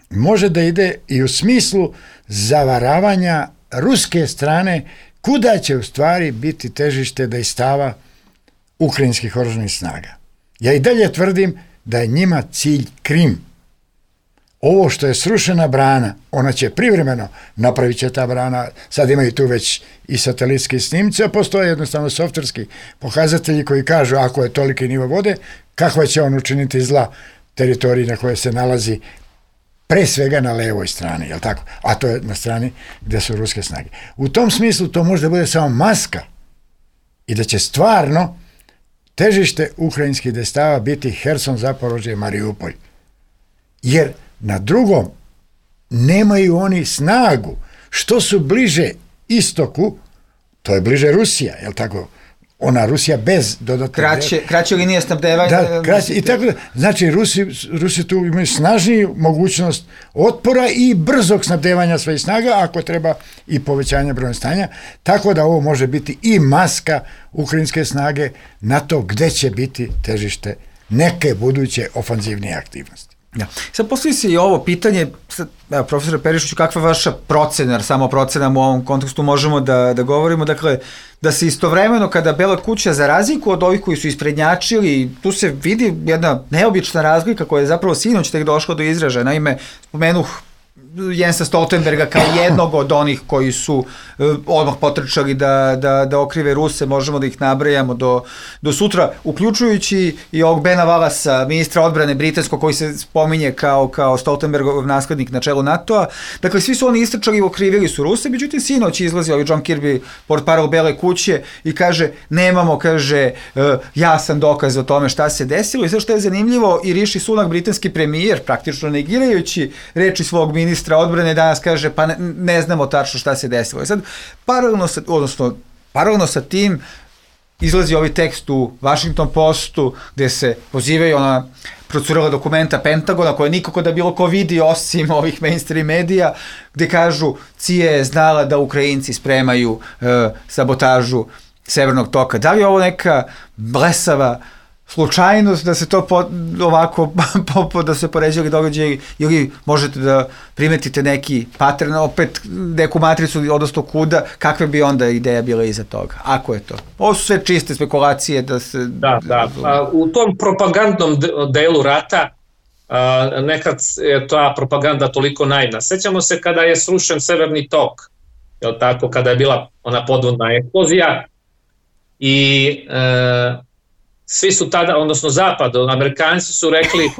može da ide i u smislu zavaravanja ruske strane kuda će u stvari biti težište dejstava ukrajinskih oružanih snaga. Ja i dalje tvrdim da je njima cilj Krim. Ovo što je srušena brana, ona će privremeno, napravit će ta brana, sad imaju tu već i satelitski snimci, a postoje jednostavno softverski pokazatelji koji kažu ako je toliki nivo vode, kakva će on učiniti zla teritoriji na kojoj se nalazi pre svega na levoj strani, jel tako? A to je na strani gdje su ruske snage. U tom smislu to može da bude samo maska i da će stvarno težište ukrajinskih dejstava biti Herson, Zaporožje i Mariupol. Jer na drugom nemaju oni snagu. Što su bliže istoku, to je bliže Rusija, jel tako? Ona Rusija bez dodatne... Kraće linije snabdevanja. Da, kraće, i tako da, znači Rusi tu imaju snažniju mogućnost otpora i brzog snabdevanja svojih snaga, ako treba i povećanja broja stanja, tako da ovo može biti i maska ukrajinske snage na to gde će biti težište neke buduće ofanzivnije aktivnosti. Ja. Sad postoji se i ovo pitanje, profesore Perišiću, kakva je vaša procena, jer samo procenama u ovom kontekstu možemo da govorimo, dakle, da se istovremeno kada Bela kuća, za razliku od ovih koji su isprednjačili, tu se vidi jedna neobična razlika koja je zapravo sinoć tek došla do izražaja. Naime, spomenuh Jensa Stoltenberga kao jednog od onih koji su odmah potrčali da okrive Ruse, možemo da ih nabrajamo do sutra, uključujući i ovog Bena Wallasa, ministra odbrane britanskog, koji se spominje kao Stoltenbergov naslednik na čelu NATO-a. Dakle, svi su oni istrčali i okrivili su Ruse, međutim sinoć izlazi ovaj John Kirby, portparol Bele kuće, i kaže, nemamo, kaže, jasan dokaz o tome šta se desilo. I sve što je zanimljivo, i Rishi Sunak, britanski premijer, praktično negirajući reči svog ministra odbrane, danas kaže, pa ne znamo tačno šta se desilo. I sad, paralelno sa tim, izlazi ovaj tekst u Washington Postu, gde se pozivaju na procurala dokumenta Pentagona koje nikako da bilo ko vidi osim ovih mainstream medija, gde kažu CIA je znala da Ukrajinci spremaju sabotažu Severnog toka. Da li je ovo neka blesava slučajnost da se to ovako da se poređali događaji ili možete da primetite neki pattern, opet neku matricu, odnosno kuda, kakve bi onda ideja bila iza toga, ako je to? Ovo su sve čiste spekulacije da se... Da. U tom propagandnom delu rata nekad je ta propaganda toliko naivna. Sećamo se kada je srušen Severni tok, je tako, kada je bila ona podvodna eksplozija i svi su tada, odnosno zapad, Amerikanci su rekli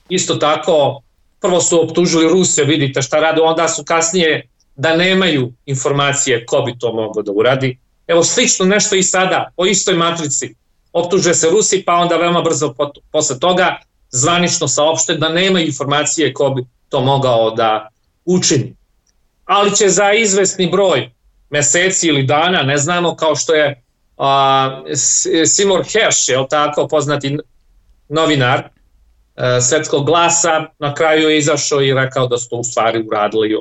isto tako, prvo su optužili Rusije, vidite šta rade, onda su kasnije da nemaju informacije ko bi to moglo da uradi. Evo slično nešto i sada, po istoj matrici, optuže se Rusi, pa onda veoma brzo posle toga zvanično saopšte da nemaju informacije ko bi to mogao da učini. Ali će za izvesni broj meseci ili dana, ne znamo, kao što je Seymour Hersh, je tako, poznati novinar Svetskog glasa, na kraju je izašao i rekao da su to u stvari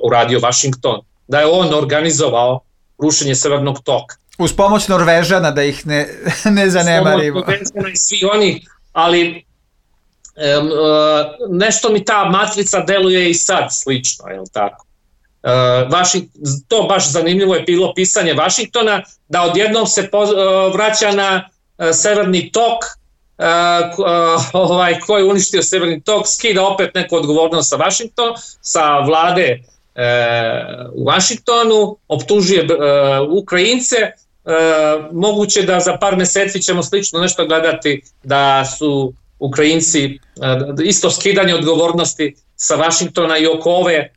uradio Washington, da je on organizovao rušenje Severnog toka. Uz pomoć Norvežana, da ih ne zanemarimo. Uz pomoć Norvežana i svi oni, ali nešto mi ta matrica deluje i sad slično, je tako? To baš zanimljivo je bilo pisanje Vašingtona, da odjednom se vraća na Severni tok, ko je uništio Severni tok, skida opet neku odgovornost sa vlade u Vašingtonu, optužuje Ukrajince, moguće da za par meseci ćemo slično nešto gledati, da su Ukrajinci isto skidanje odgovornosti sa Vašingtona i oko ove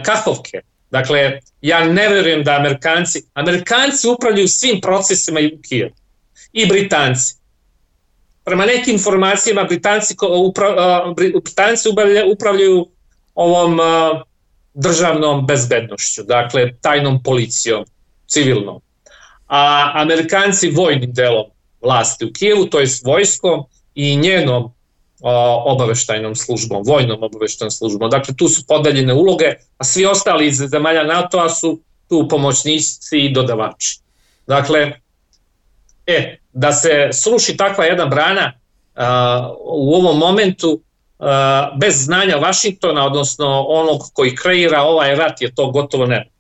kahovke. Dakle, ja ne verujem da Amerikanci upravljaju svim procesima u Kijevu i Britanci. Prema nekim informacijama Britanci upravljaju ovom državnom bezbednošću, dakle tajnom policijom, civilnom. A Amerikanci vojnim delom vlasti u Kijevu, to je vojskom i njenom obaveštajnom službom, vojnom obaveštajnom službom. Dakle, tu su podeljene uloge, a svi ostali iz zemalja NATO-a su tu pomoćnici i dodavači. Dakle, da se sruši takva jedna brana u ovom momentu bez znanja Vašingtona, odnosno onog koji kreira ovaj rat, je to gotovo nemoguće.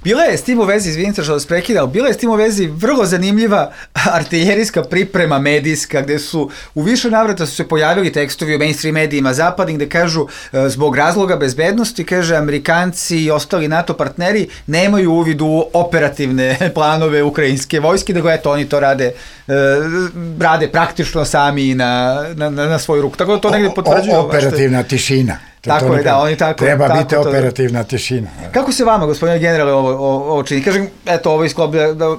Bila je s tim u vezi, izvinite što vas prekidam, bila je s tim u vezi vrlo zanimljiva artiljerijska priprema medijska, gde su u više navrata su se pojavili tekstovi u mainstream medijima zapadnih, gde kažu zbog razloga bezbednosti, kaže, Amerikanci i ostali NATO partneri nemaju uvid u operativne planove ukrajinske vojske, da eto, oni to rade praktično sami na svoju ruku. Tako da to negde potvrđuje. Operativna tišina. Tako je, da, oni tako... Treba biti operativna tišina. Kako se vama, gospodine generale, ovo čini? Kažem, eto, ovo iskloplja da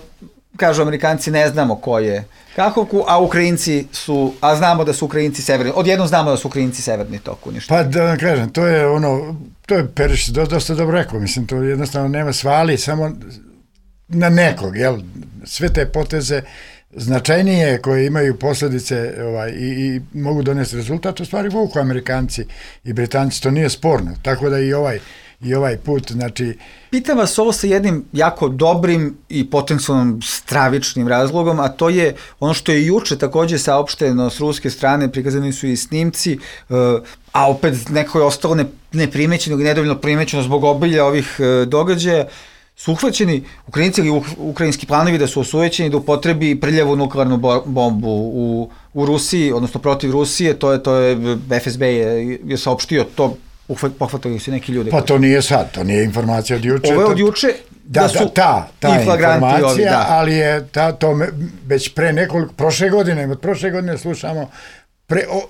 kažu Amerikanci, ne znamo ko je kahovku, a Ukrajinci su, a znamo da su Ukrajinci severni, odjednom znamo da su Ukrajinci severni tok uništeni. Pa da vam kažem, to je Perišić dosta dobro rekao, mislim, to jednostavno nema svali, samo na nekog, jel? Sve te poteze značajnije koje imaju posljedice i mogu donesti rezultat, u stvari vuku Amerikanci i Britanci, to nije sporno, tako da i ovaj put, znači... Pitam vas ovo sa jednim jako dobrim i potencijalnom stravičnim razlogom, a to je ono što je juče također saopšteno s ruske strane, prikazani su i snimci, a opet neko je ostalo neprimećeno ili nedovoljno primećeno zbog obilja ovih događaja, su uhvaćeni Ukrajinci ili ukrajinski planovi da su osujećeni da upotrebi prljavu nuklearnu bombu u Rusiji, odnosno protiv Rusije, to je FSB je saopštio, to pohvatali su neki ljudi. Pa to nije sad, to nije informacija od juče. Ovo je od juče da su ta informacija, ali je to već prošle godine slušamo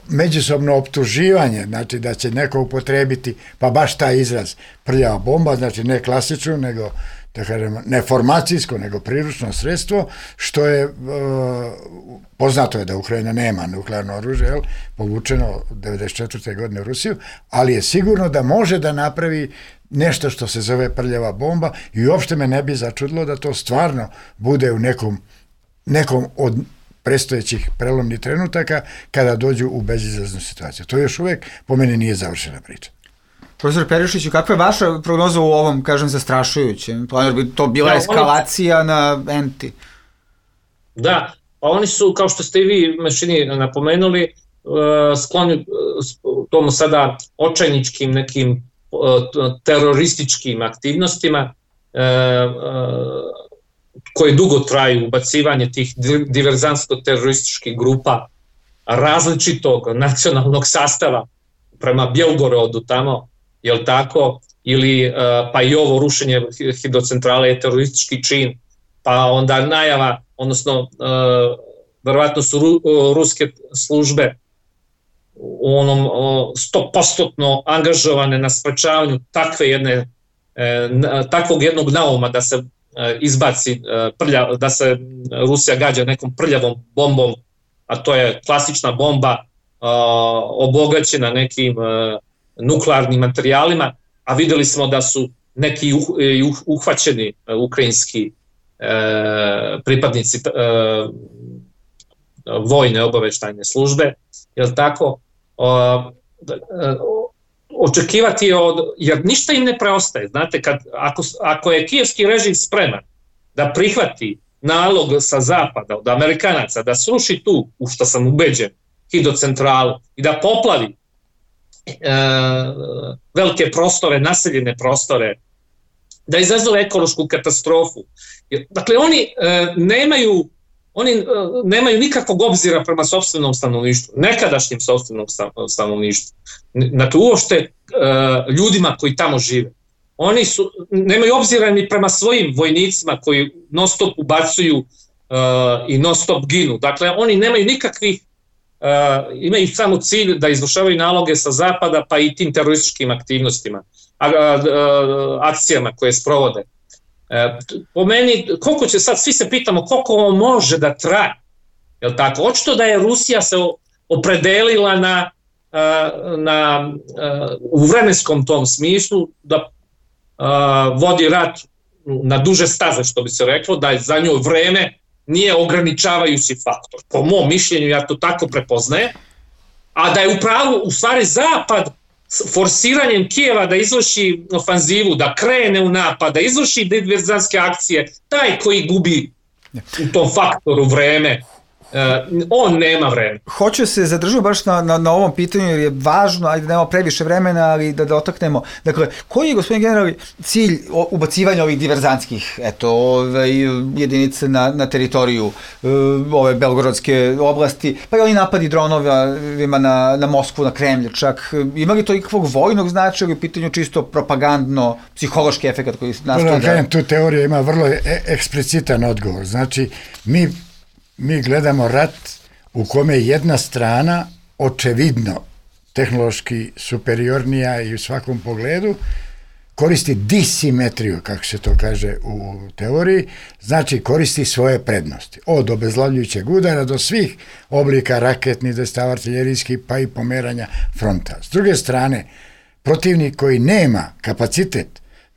međusobno optuživanje, znači da će neko upotrebiti, pa baš taj izraz prljava bomba, znači ne klasičnu, nego da kažemo, ne formacijsko, nego priručno sredstvo, što je poznato je da Ukrajina nema nuklearno oružje, povučeno 1994. godine u Rusiju, ali je sigurno da može da napravi nešto što se zove prljava bomba i uopšte me ne bi začudilo da to stvarno bude u nekom od predstojećih prelomnih trenutaka kada dođu u bezizlaznu situaciju. To još uvek po meni nije završena priča. Profesor Perišiću, kakva je vaša prognoza u ovom, kažem, zastrašujućem? Planer bi to bila eskalacija na enti? Da, pa oni su, kao što ste i vi Mešini napomenuli, skloni tomu sada očajničkim nekim terorističkim aktivnostima koje dugo traju, ubacivanje tih diverzantsko-terorističkih grupa različitog nacionalnog sastava prema Bjelgorodu tamo, jel tako, ili pa i ovo rušenje hidrocentrale je teroristički čin, pa onda najava, odnosno verovatno su ruske službe u onom 100% angažovane na sprečavanju takvog jednog nauma da se izbaci da se Rusija gađa nekom prljavom bombom, a to je klasična bomba obogaćena nekim nuklearnim materijalima, a videli smo da su neki uhvaćeni ukrajinski pripadnici vojne obaveštajne službe, jel tako? Očekivati je jer ništa im ne preostaje. Znate, ako je kijevski režim spreman da prihvati nalog sa zapada od Amerikanaca da sruši tu, u što sam ubeđen, hidrocentralu i da poplavi velike prostore, naseljene prostore, da izazove ekološku katastrofu. Dakle, oni nemaju nikakvog obzira prema sopstvenom stanovništvu, nekadašnjem sopstvenom stanovništvu, dakle uopšte ljudima koji tamo žive. Oni nemaju obzira ni prema svojim vojnicima koji non stop ubacuju i non stop ginu. Dakle, oni nemaju nikakvih, imaju samo cilj da izvršavaju naloge sa zapada pa i tim terorističkim aktivnostima, akcijama koje sprovode. Po meni, koliko će sad, svi se pitamo koliko ovo može da traje, jel tako? Očito da je Rusija se opredelila u vremenskom tom smislu da vodi rat na duže staze, što bi se reklo, da je za njoj vreme nije ograničavajući faktor. Po mom mišljenju, ja to tako prepoznajem, a da je u stvari Zapad forsiranjem Kijeva da izvrši ofanzivu, da krene u napad, da izvrši diverzantske akcije, taj koji gubi u tom faktoru vreme, on nema vreme. Hoću se zadržati baš na ovom pitanju jer je važno, ajde nemamo previše vremena, ali da dotaknemo. Dakle, koji je, gospodin general, cilj ubacivanja ovih diverzantskih jedinice na teritoriju ove belgorodske oblasti, pa i oni napadi dronovima na Moskvu, na Kremlj čak? Ima li to ikakvog vojnog značaja ili u pitanju čisto propagandno, psihološki efekt koji nastoji tu teorija ima vrlo eksplicitan odgovor. Znači, mi gledamo rat u kome jedna strana očevidno tehnološki superiornija i u svakom pogledu koristi disimetriju, kako se to kaže u teoriji, znači koristi svoje prednosti. Od obezglavljujućeg udara do svih oblika raketnih, destav artiljerijskih, pa i pomeranja fronta. S druge strane, protivnik koji nema kapacitet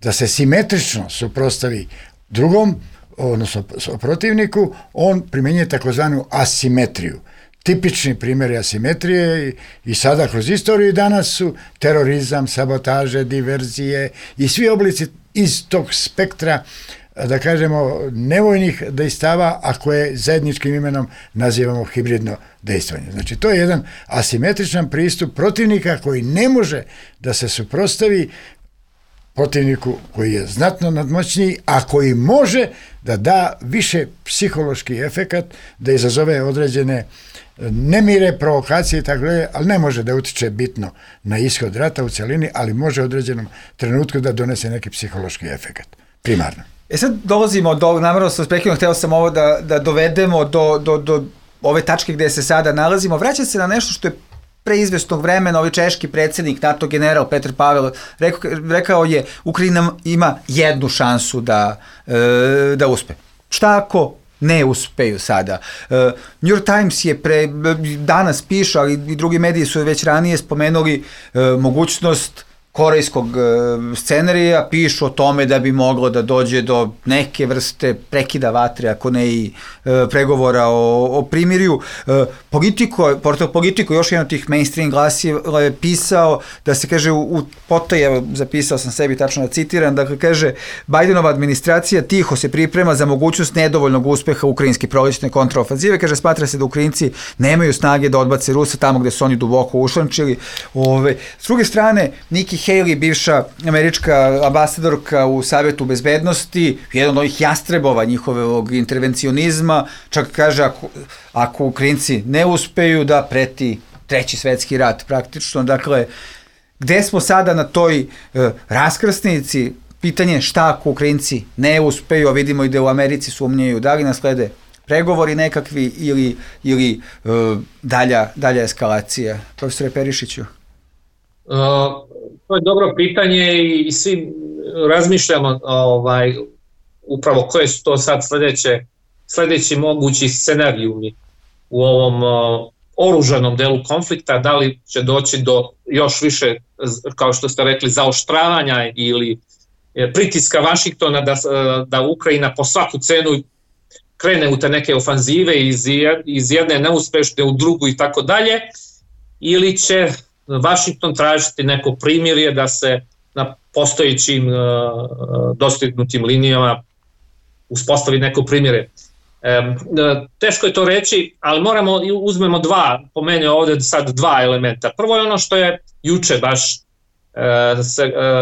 da se simetrično suprotstavi drugom, odnosno protivniku, on primjenjuje takozvanu asimetriju. Tipični primjeri asimetrije i sada kroz istoriju danas su terorizam, sabotaže, diverzije i svi oblici iz tog spektra, da kažemo, nevojnih dejstava, a koje zajedničkim imenom nazivamo hibridno dejstvanje. Znači, to je jedan asimetričan pristup protivnika koji ne može da se suprotstavi protivniku koji je znatno nadmoćniji, a koji može da da više psihološki efekat, da izazove određene nemire, provokacije i tako dalje, ali ne može da utiče bitno na ishod rata u celini, ali može u određenom trenutku da donese neki psihološki efekat, primarno. Sad dolazimo do, namerno sam spekivno, hteo sam ovo da dovedemo do ove tačke gde se sada nalazimo. Vraća se na nešto što je pre izvesnog vremena ovaj češki predsjednik, NATO general Petr Pavel, rekao je Ukrajina ima jednu šansu da uspe. Šta ako ne uspeju sada? New York Times je danas piše, ali i drugi mediji su već ranije spomenuli mogućnost korejskog scenarija, pišu o tome da bi moglo da dođe do neke vrste prekida vatre, ako ne i pregovora o primirju. Portal Politico, još jedan od tih mainstream glasila je pisao da se kaže u potaje, zapisao sam sebi tačno da citiram, dakle kaže Bajdenova administracija tiho se priprema za mogućnost nedovoljnog uspeha ukrajinske prolećne kontraofanzive, kaže smatra se da Ukrajinci nemaju snage da odbace Rusa tamo gde su oni duboko ušlančili. S druge strane, Nikki Haley, bivša američka ambasadorka u Savetu bezbednosti, jedan od ovih jastrebova njihovog intervencionizma, čak kaže ako Ukrajinci ne uspeju da preti treći svetski rat praktično. Dakle, gde smo sada na toj raskrsnici? Pitanje šta ako Ukrajinci ne uspeju, a vidimo i da u Americi sumnjaju, da li naslede pregovori nekakvi ili dalja eskalacija? Profesore Perišiću. To je dobro pitanje i svi razmišljamo upravo koje su to sad sledeći mogući scenarijumi u ovom oružanom delu konflikta, da li će doći do još više, kao što ste rekli, zaoštravanja ili pritiska Vašingtona da Ukrajina po svaku cenu krene u te neke ofanzive iz jedne neuspešne u drugu i tako dalje, ili će Vašington tražiti neko primirje da se na postojećim dostignutim linijama uspostavi neko primirje. Teško je to reći, ali moramo uzmemo po meni ovde sad dva elementa. Prvo je ono što je juče baš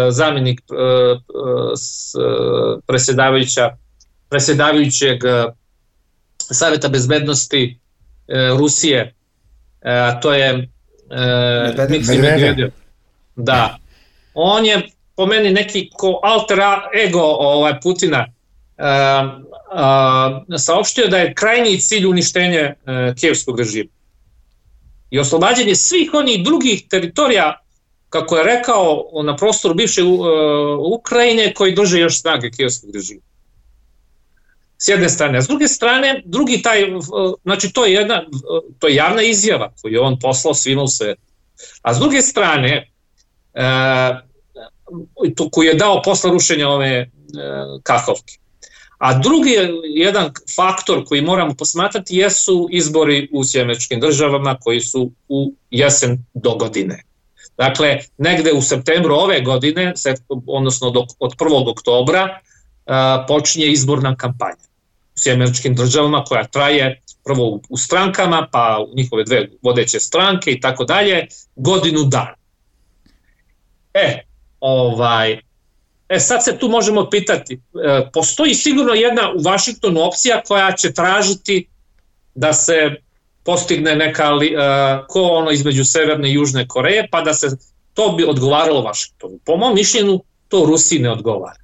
zamjenik predsjedavajućeg Saveta bezbednosti Rusije, to je Medvedev. Da. On je po meni neki alter ego Putina saopštio da je krajnji cilj uništenje kijevskog režima i oslobađanje svih onih drugih teritorija, kako je rekao, na prostoru bivše Ukrajine koji drže još snage kijevskog režima. S jedne strane. A s druge strane, znači to je javna izjava koju je on poslao svima u svetu. A s druge strane, koju je dao posle rušenja ove Kahovke. A drugi jedan faktor koji moramo posmatrati jesu izbori u Sjedinjenim Državama koji su u jesen do godine. Dakle, negde u septembru ove godine, odnosno od 1. oktobra, počinje izborna kampanja u Sjedinjenim Državama koja traje prvo u strankama, pa u njihove dve vodeće stranke i tako dalje, godinu dana. Sad se tu možemo pitati, postoji sigurno jedna u Vašingtonu opcija koja će tražiti da se postigne neka između Severne i Južne Koreje, pa da se to bi odgovaralo Vašingtonu. Po mom mišljenju to Rusiji ne odgovara.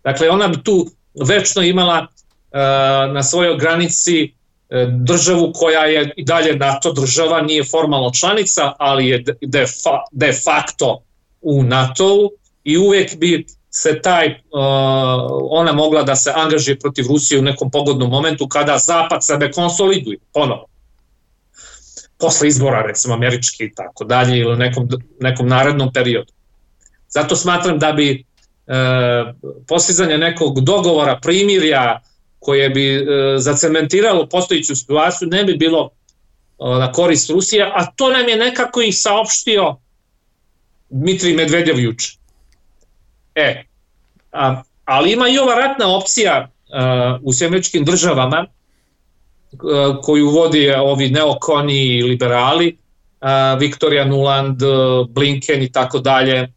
Dakle, ona bi tu večno imala na svojoj granici državu koja je i dalje NATO država, nije formalno članica, ali je de facto u NATO-u i uvijek bi se ona mogla da se angažuje protiv Rusije u nekom pogodnom momentu kada Zapad sebe konsoliduje ponovo. Posle izbora, recimo, američki i tako dalje, ili u nekom narednom periodu. Zato smatram da bi postizanje nekog dogovora, primirja, koje bi zacementiralo postojiću situaciju, ne bi bilo na korist Rusije, a to nam je nekako i saopštio Dmitrij Medvedev juče. Ali ima i ova ratna opcija u Sjedinjenim Državama koju vodi ovi neokoni i liberali, Victoria Nuland, Blinken i tako dalje.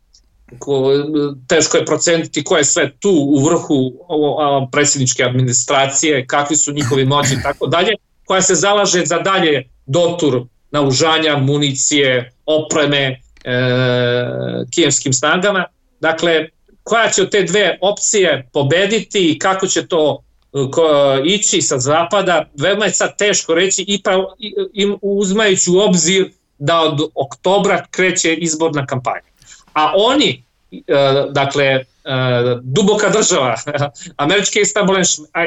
Teško je proceniti ko je sve tu u vrhu predsjedničke administracije, kakvi su njihovi moći i tako dalje, koja se zalaže za dalje dotur naoružanja, municije, opreme kijevskim snagama. Dakle, koja će od te dve opcije pobediti i kako će to ići sa zapada, veoma je sad teško reći, uzmajući u obzir da od oktobra kreće izborna kampanja. A oni, dakle, duboka država, američki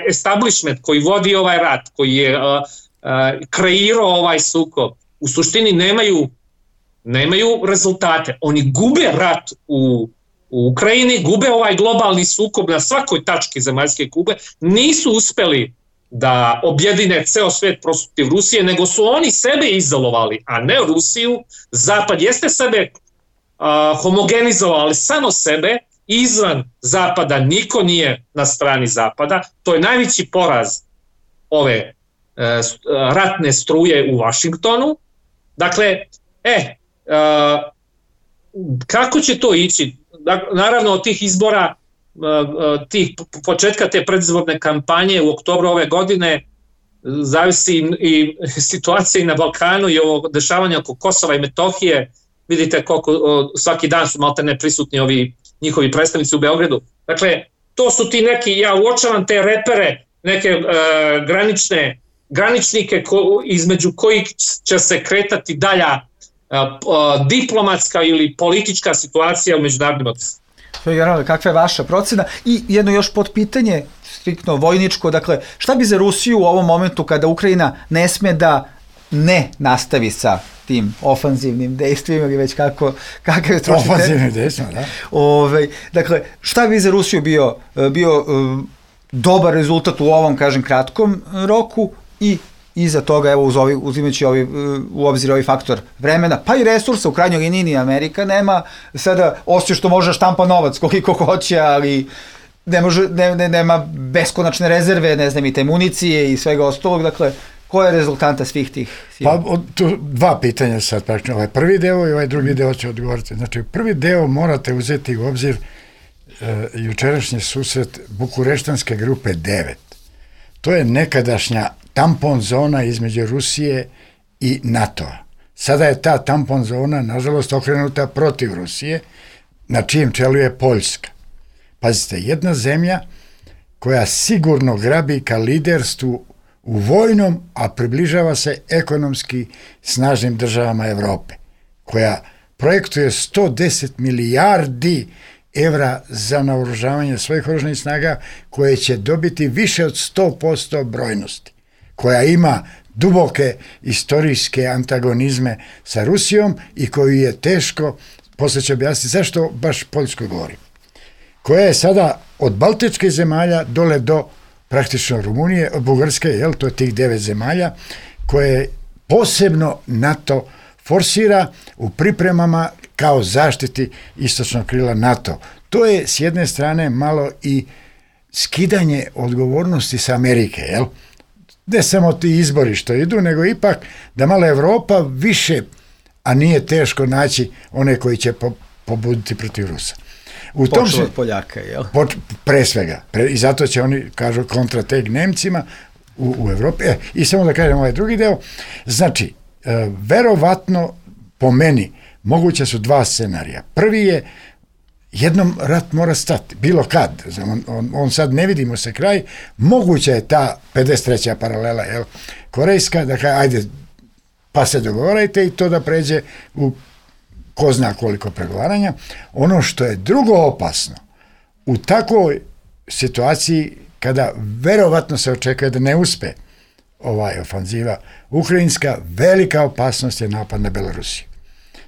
establishment koji vodi ovaj rat, koji je kreirao ovaj sukob, u suštini nemaju rezultate. Oni gube rat u Ukrajini, gube ovaj globalni sukob na svakoj tački zemaljske kugle, nisu uspeli da objedine ceo svet protiv Rusije, nego su oni sebe izolovali, a ne Rusiju. Zapad jeste sebe homogenizovao, ali samo sebe. Izvan Zapada niko nije na strani Zapada. To je najveći poraz ove ratne struje u Vašingtonu. Dakle, kako će to ići? Naravno, od tih izbora, tih početka te predizborne kampanje u oktobru ove godine, zavisi i situacija i na Balkanu i ovo dešavanje oko Kosova i Metohije. Vidite koliko svaki dan su maltene prisutni ovi njihovi predstavnici u Beogradu. Dakle, to su ti neki, ja uočavam te repere, neke graničnike između kojih će se kretati dalja diplomatska ili politička situacija u međunarodnim odnosima. Generale, kakva je vaša procena? I jedno još potpitanje, striktno vojničko, dakle, šta bi za Rusiju u ovom momentu kada Ukrajina ne sme da ne nastavi sa tim ofanzivnim dejstvima ili već kakav je trošite? Ofanzivnim dejstvima, da. Dakle, šta bi za Rusiju bio dobar rezultat u ovom, kažem, kratkom roku i iza toga, evo, uzimajući u obzir ovaj faktor vremena, pa i resursa, u krajnjoj liniji ni Amerika nema sada, osim što može štampa novac koliko hoće, ali nema beskonačne rezerve, ne znam, i te municije i svega ostalog, dakle, koja je rezultanta svih tih sila? Pa, tu dva pitanja sad praktično, ovaj prvi deo i ovaj drugi deo će odgovoriti. Znači, prvi deo morate uzeti u obzir jučerašnji susret Bukureštanske grupe 9. To je nekadašnja tampon zona između Rusije i NATO-a. Sada je ta tampon zona, nažalost, okrenuta protiv Rusije, na čijem čelu je Poljska. Pazite, jedna zemlja koja sigurno grabi ka liderstvu u vojnom, a približava se ekonomski snažnim državama Evrope, koja projektuje 110 milijardi evra za naoružavanje svojih oružanih snaga, koje će dobiti više od 100% brojnosti, koja ima duboke istorijske antagonizme sa Rusijom i koju je teško, posle ću objasniti zašto baš Poljskoj govorim, koja je sada od baltičkih zemalja dole do praktično Rumunije, Bugarske, to je tih 9 zemalja, koje posebno NATO forsira u pripremama kao zaštiti istočnog krila NATO. To je s jedne strane malo i skidanje odgovornosti sa Amerike, ne samo ti izbori što idu, nego ipak da malo Evropa više, a nije teško naći one koji će pobuditi protiv Rusa. Počeo od Poljaka, jel? Pre svega. I zato će oni, kažu, kontrateg Nemcima u Evropi. I samo da kažem ovaj drugi deo. Znači, verovatno, po meni, moguće su dva scenarija. Prvi je, jednom rat mora stati, bilo kad. On sad ne vidimo se kraj. Moguća je ta 53. paralela, korejska, da kaže, ajde, pa se dogovarajte i to da pređe u ko zna koliko pregovaranja. Ono što je drugo opasno, u takvoj situaciji kada verovatno se očekuje da ne uspe ofanziva ukrajinska, velika opasnost je napad na Belorusiju.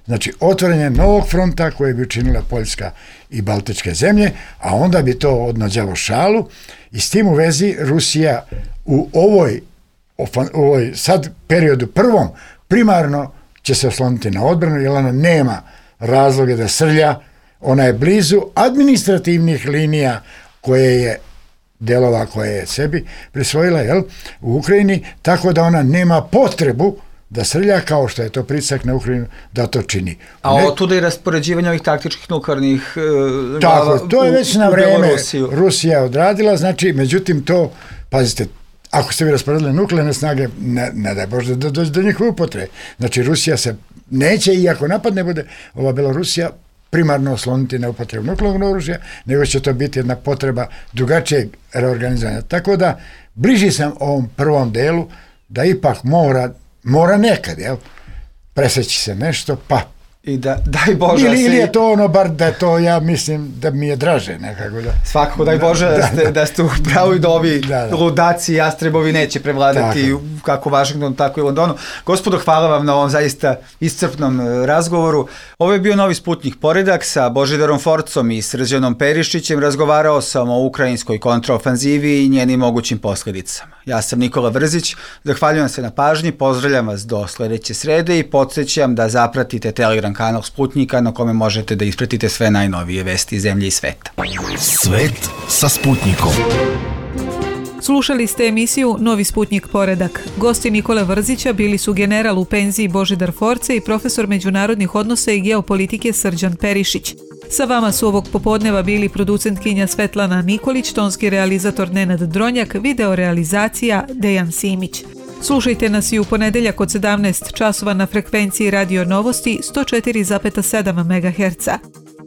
Znači, otvaranje novog fronta koje bi učinila Poljska i Baltičke zemlje, a onda bi to odnađalo šalu i s tim u vezi Rusija u ovoj sad periodu prvom primarno će se osloniti na odbranu, jer ona nema razloga da srlja, ona je blizu administrativnih linija koje je delova koje je sebi prisvojila u Ukrajini, tako da ona nema potrebu da srlja kao što je to pritisak na Ukrajinu da to čini. A otuda i raspoređivanje ovih taktičkih nuklearnih glava to je već na vreme Rusija odradila, znači, međutim to, pazite, ako ste vi rasporedili nuklearne snage, ne daj Bože da dođe do njihove upotrebe. Znači, Rusija se neće, iako napad ne bude, ova Belorusija primarno osloniti na upotrebu nuklearnog oružja, nego će to biti jedna potreba drugačijeg reorganizovanja. Tako da, bliži sam ovom prvom delu da ipak mora nekad, presjeći se nešto, pa I daj Bože... Ili je to ono, bar da to ja mislim da mi je draže nekako. Svakako, daj Bože da ste u pravu i da ovi ludaci i jastrebovi neće prevladati kako u Vašingtonu, tako i u Londonu. Gospodo, hvala vam na ovom zaista iscrpnom razgovoru. Ovo je bio Novi Sputnik poredak sa Božidarom Forcom i Srđanom Perišićem. Razgovarao sam o ukrajinskoj kontraofanzivi i njenim mogućim posljedicama. Ja sam Nikola Vrzić, zahvaljujem se na pažnji, pozdravljam vas do sledeće srede i podsjećam da zapratite Telegram kanal Sputnika na kome možete da ispratite sve najnovije vesti iz zemlje i sveta. Svet sa Sputnikom. Slušali ste emisiju Novi Sputnik poredak. Gosti Nikole Vrzića bili su general u penziji Božidar Force i profesor međunarodnih odnosa i geopolitike Srđan Perišić. Sa vama su ovog popodneva bili producentkinja Svetlana Nikolić, tonski realizator Nenad Dronjak, video realizacija Dejan Simić. Slušajte nas i u ponedeljak od 17 časova na frekvenciji Radio Novosti 104,7 MHz.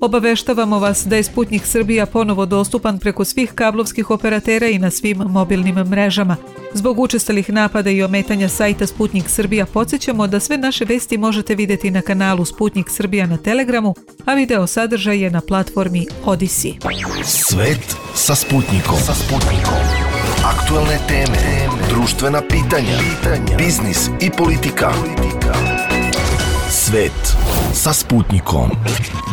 Obaveštavamo vas da je Sputnik Srbija ponovo dostupan preko svih kablovskih operatera i na svim mobilnim mrežama. Zbog učestalih napada i ometanja sajta Sputnik Srbija podsjećamo da sve naše vesti možete vidjeti na kanalu Sputnik Srbija na Telegramu, a video sadržaj je na platformi Odyssey. Svet sa Sputnikom. Aktualne teme, društvena pitanja, biznis i politika. Svet sa Sputnikom.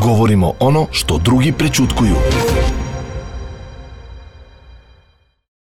Govorimo ono što drugi prećutkuju.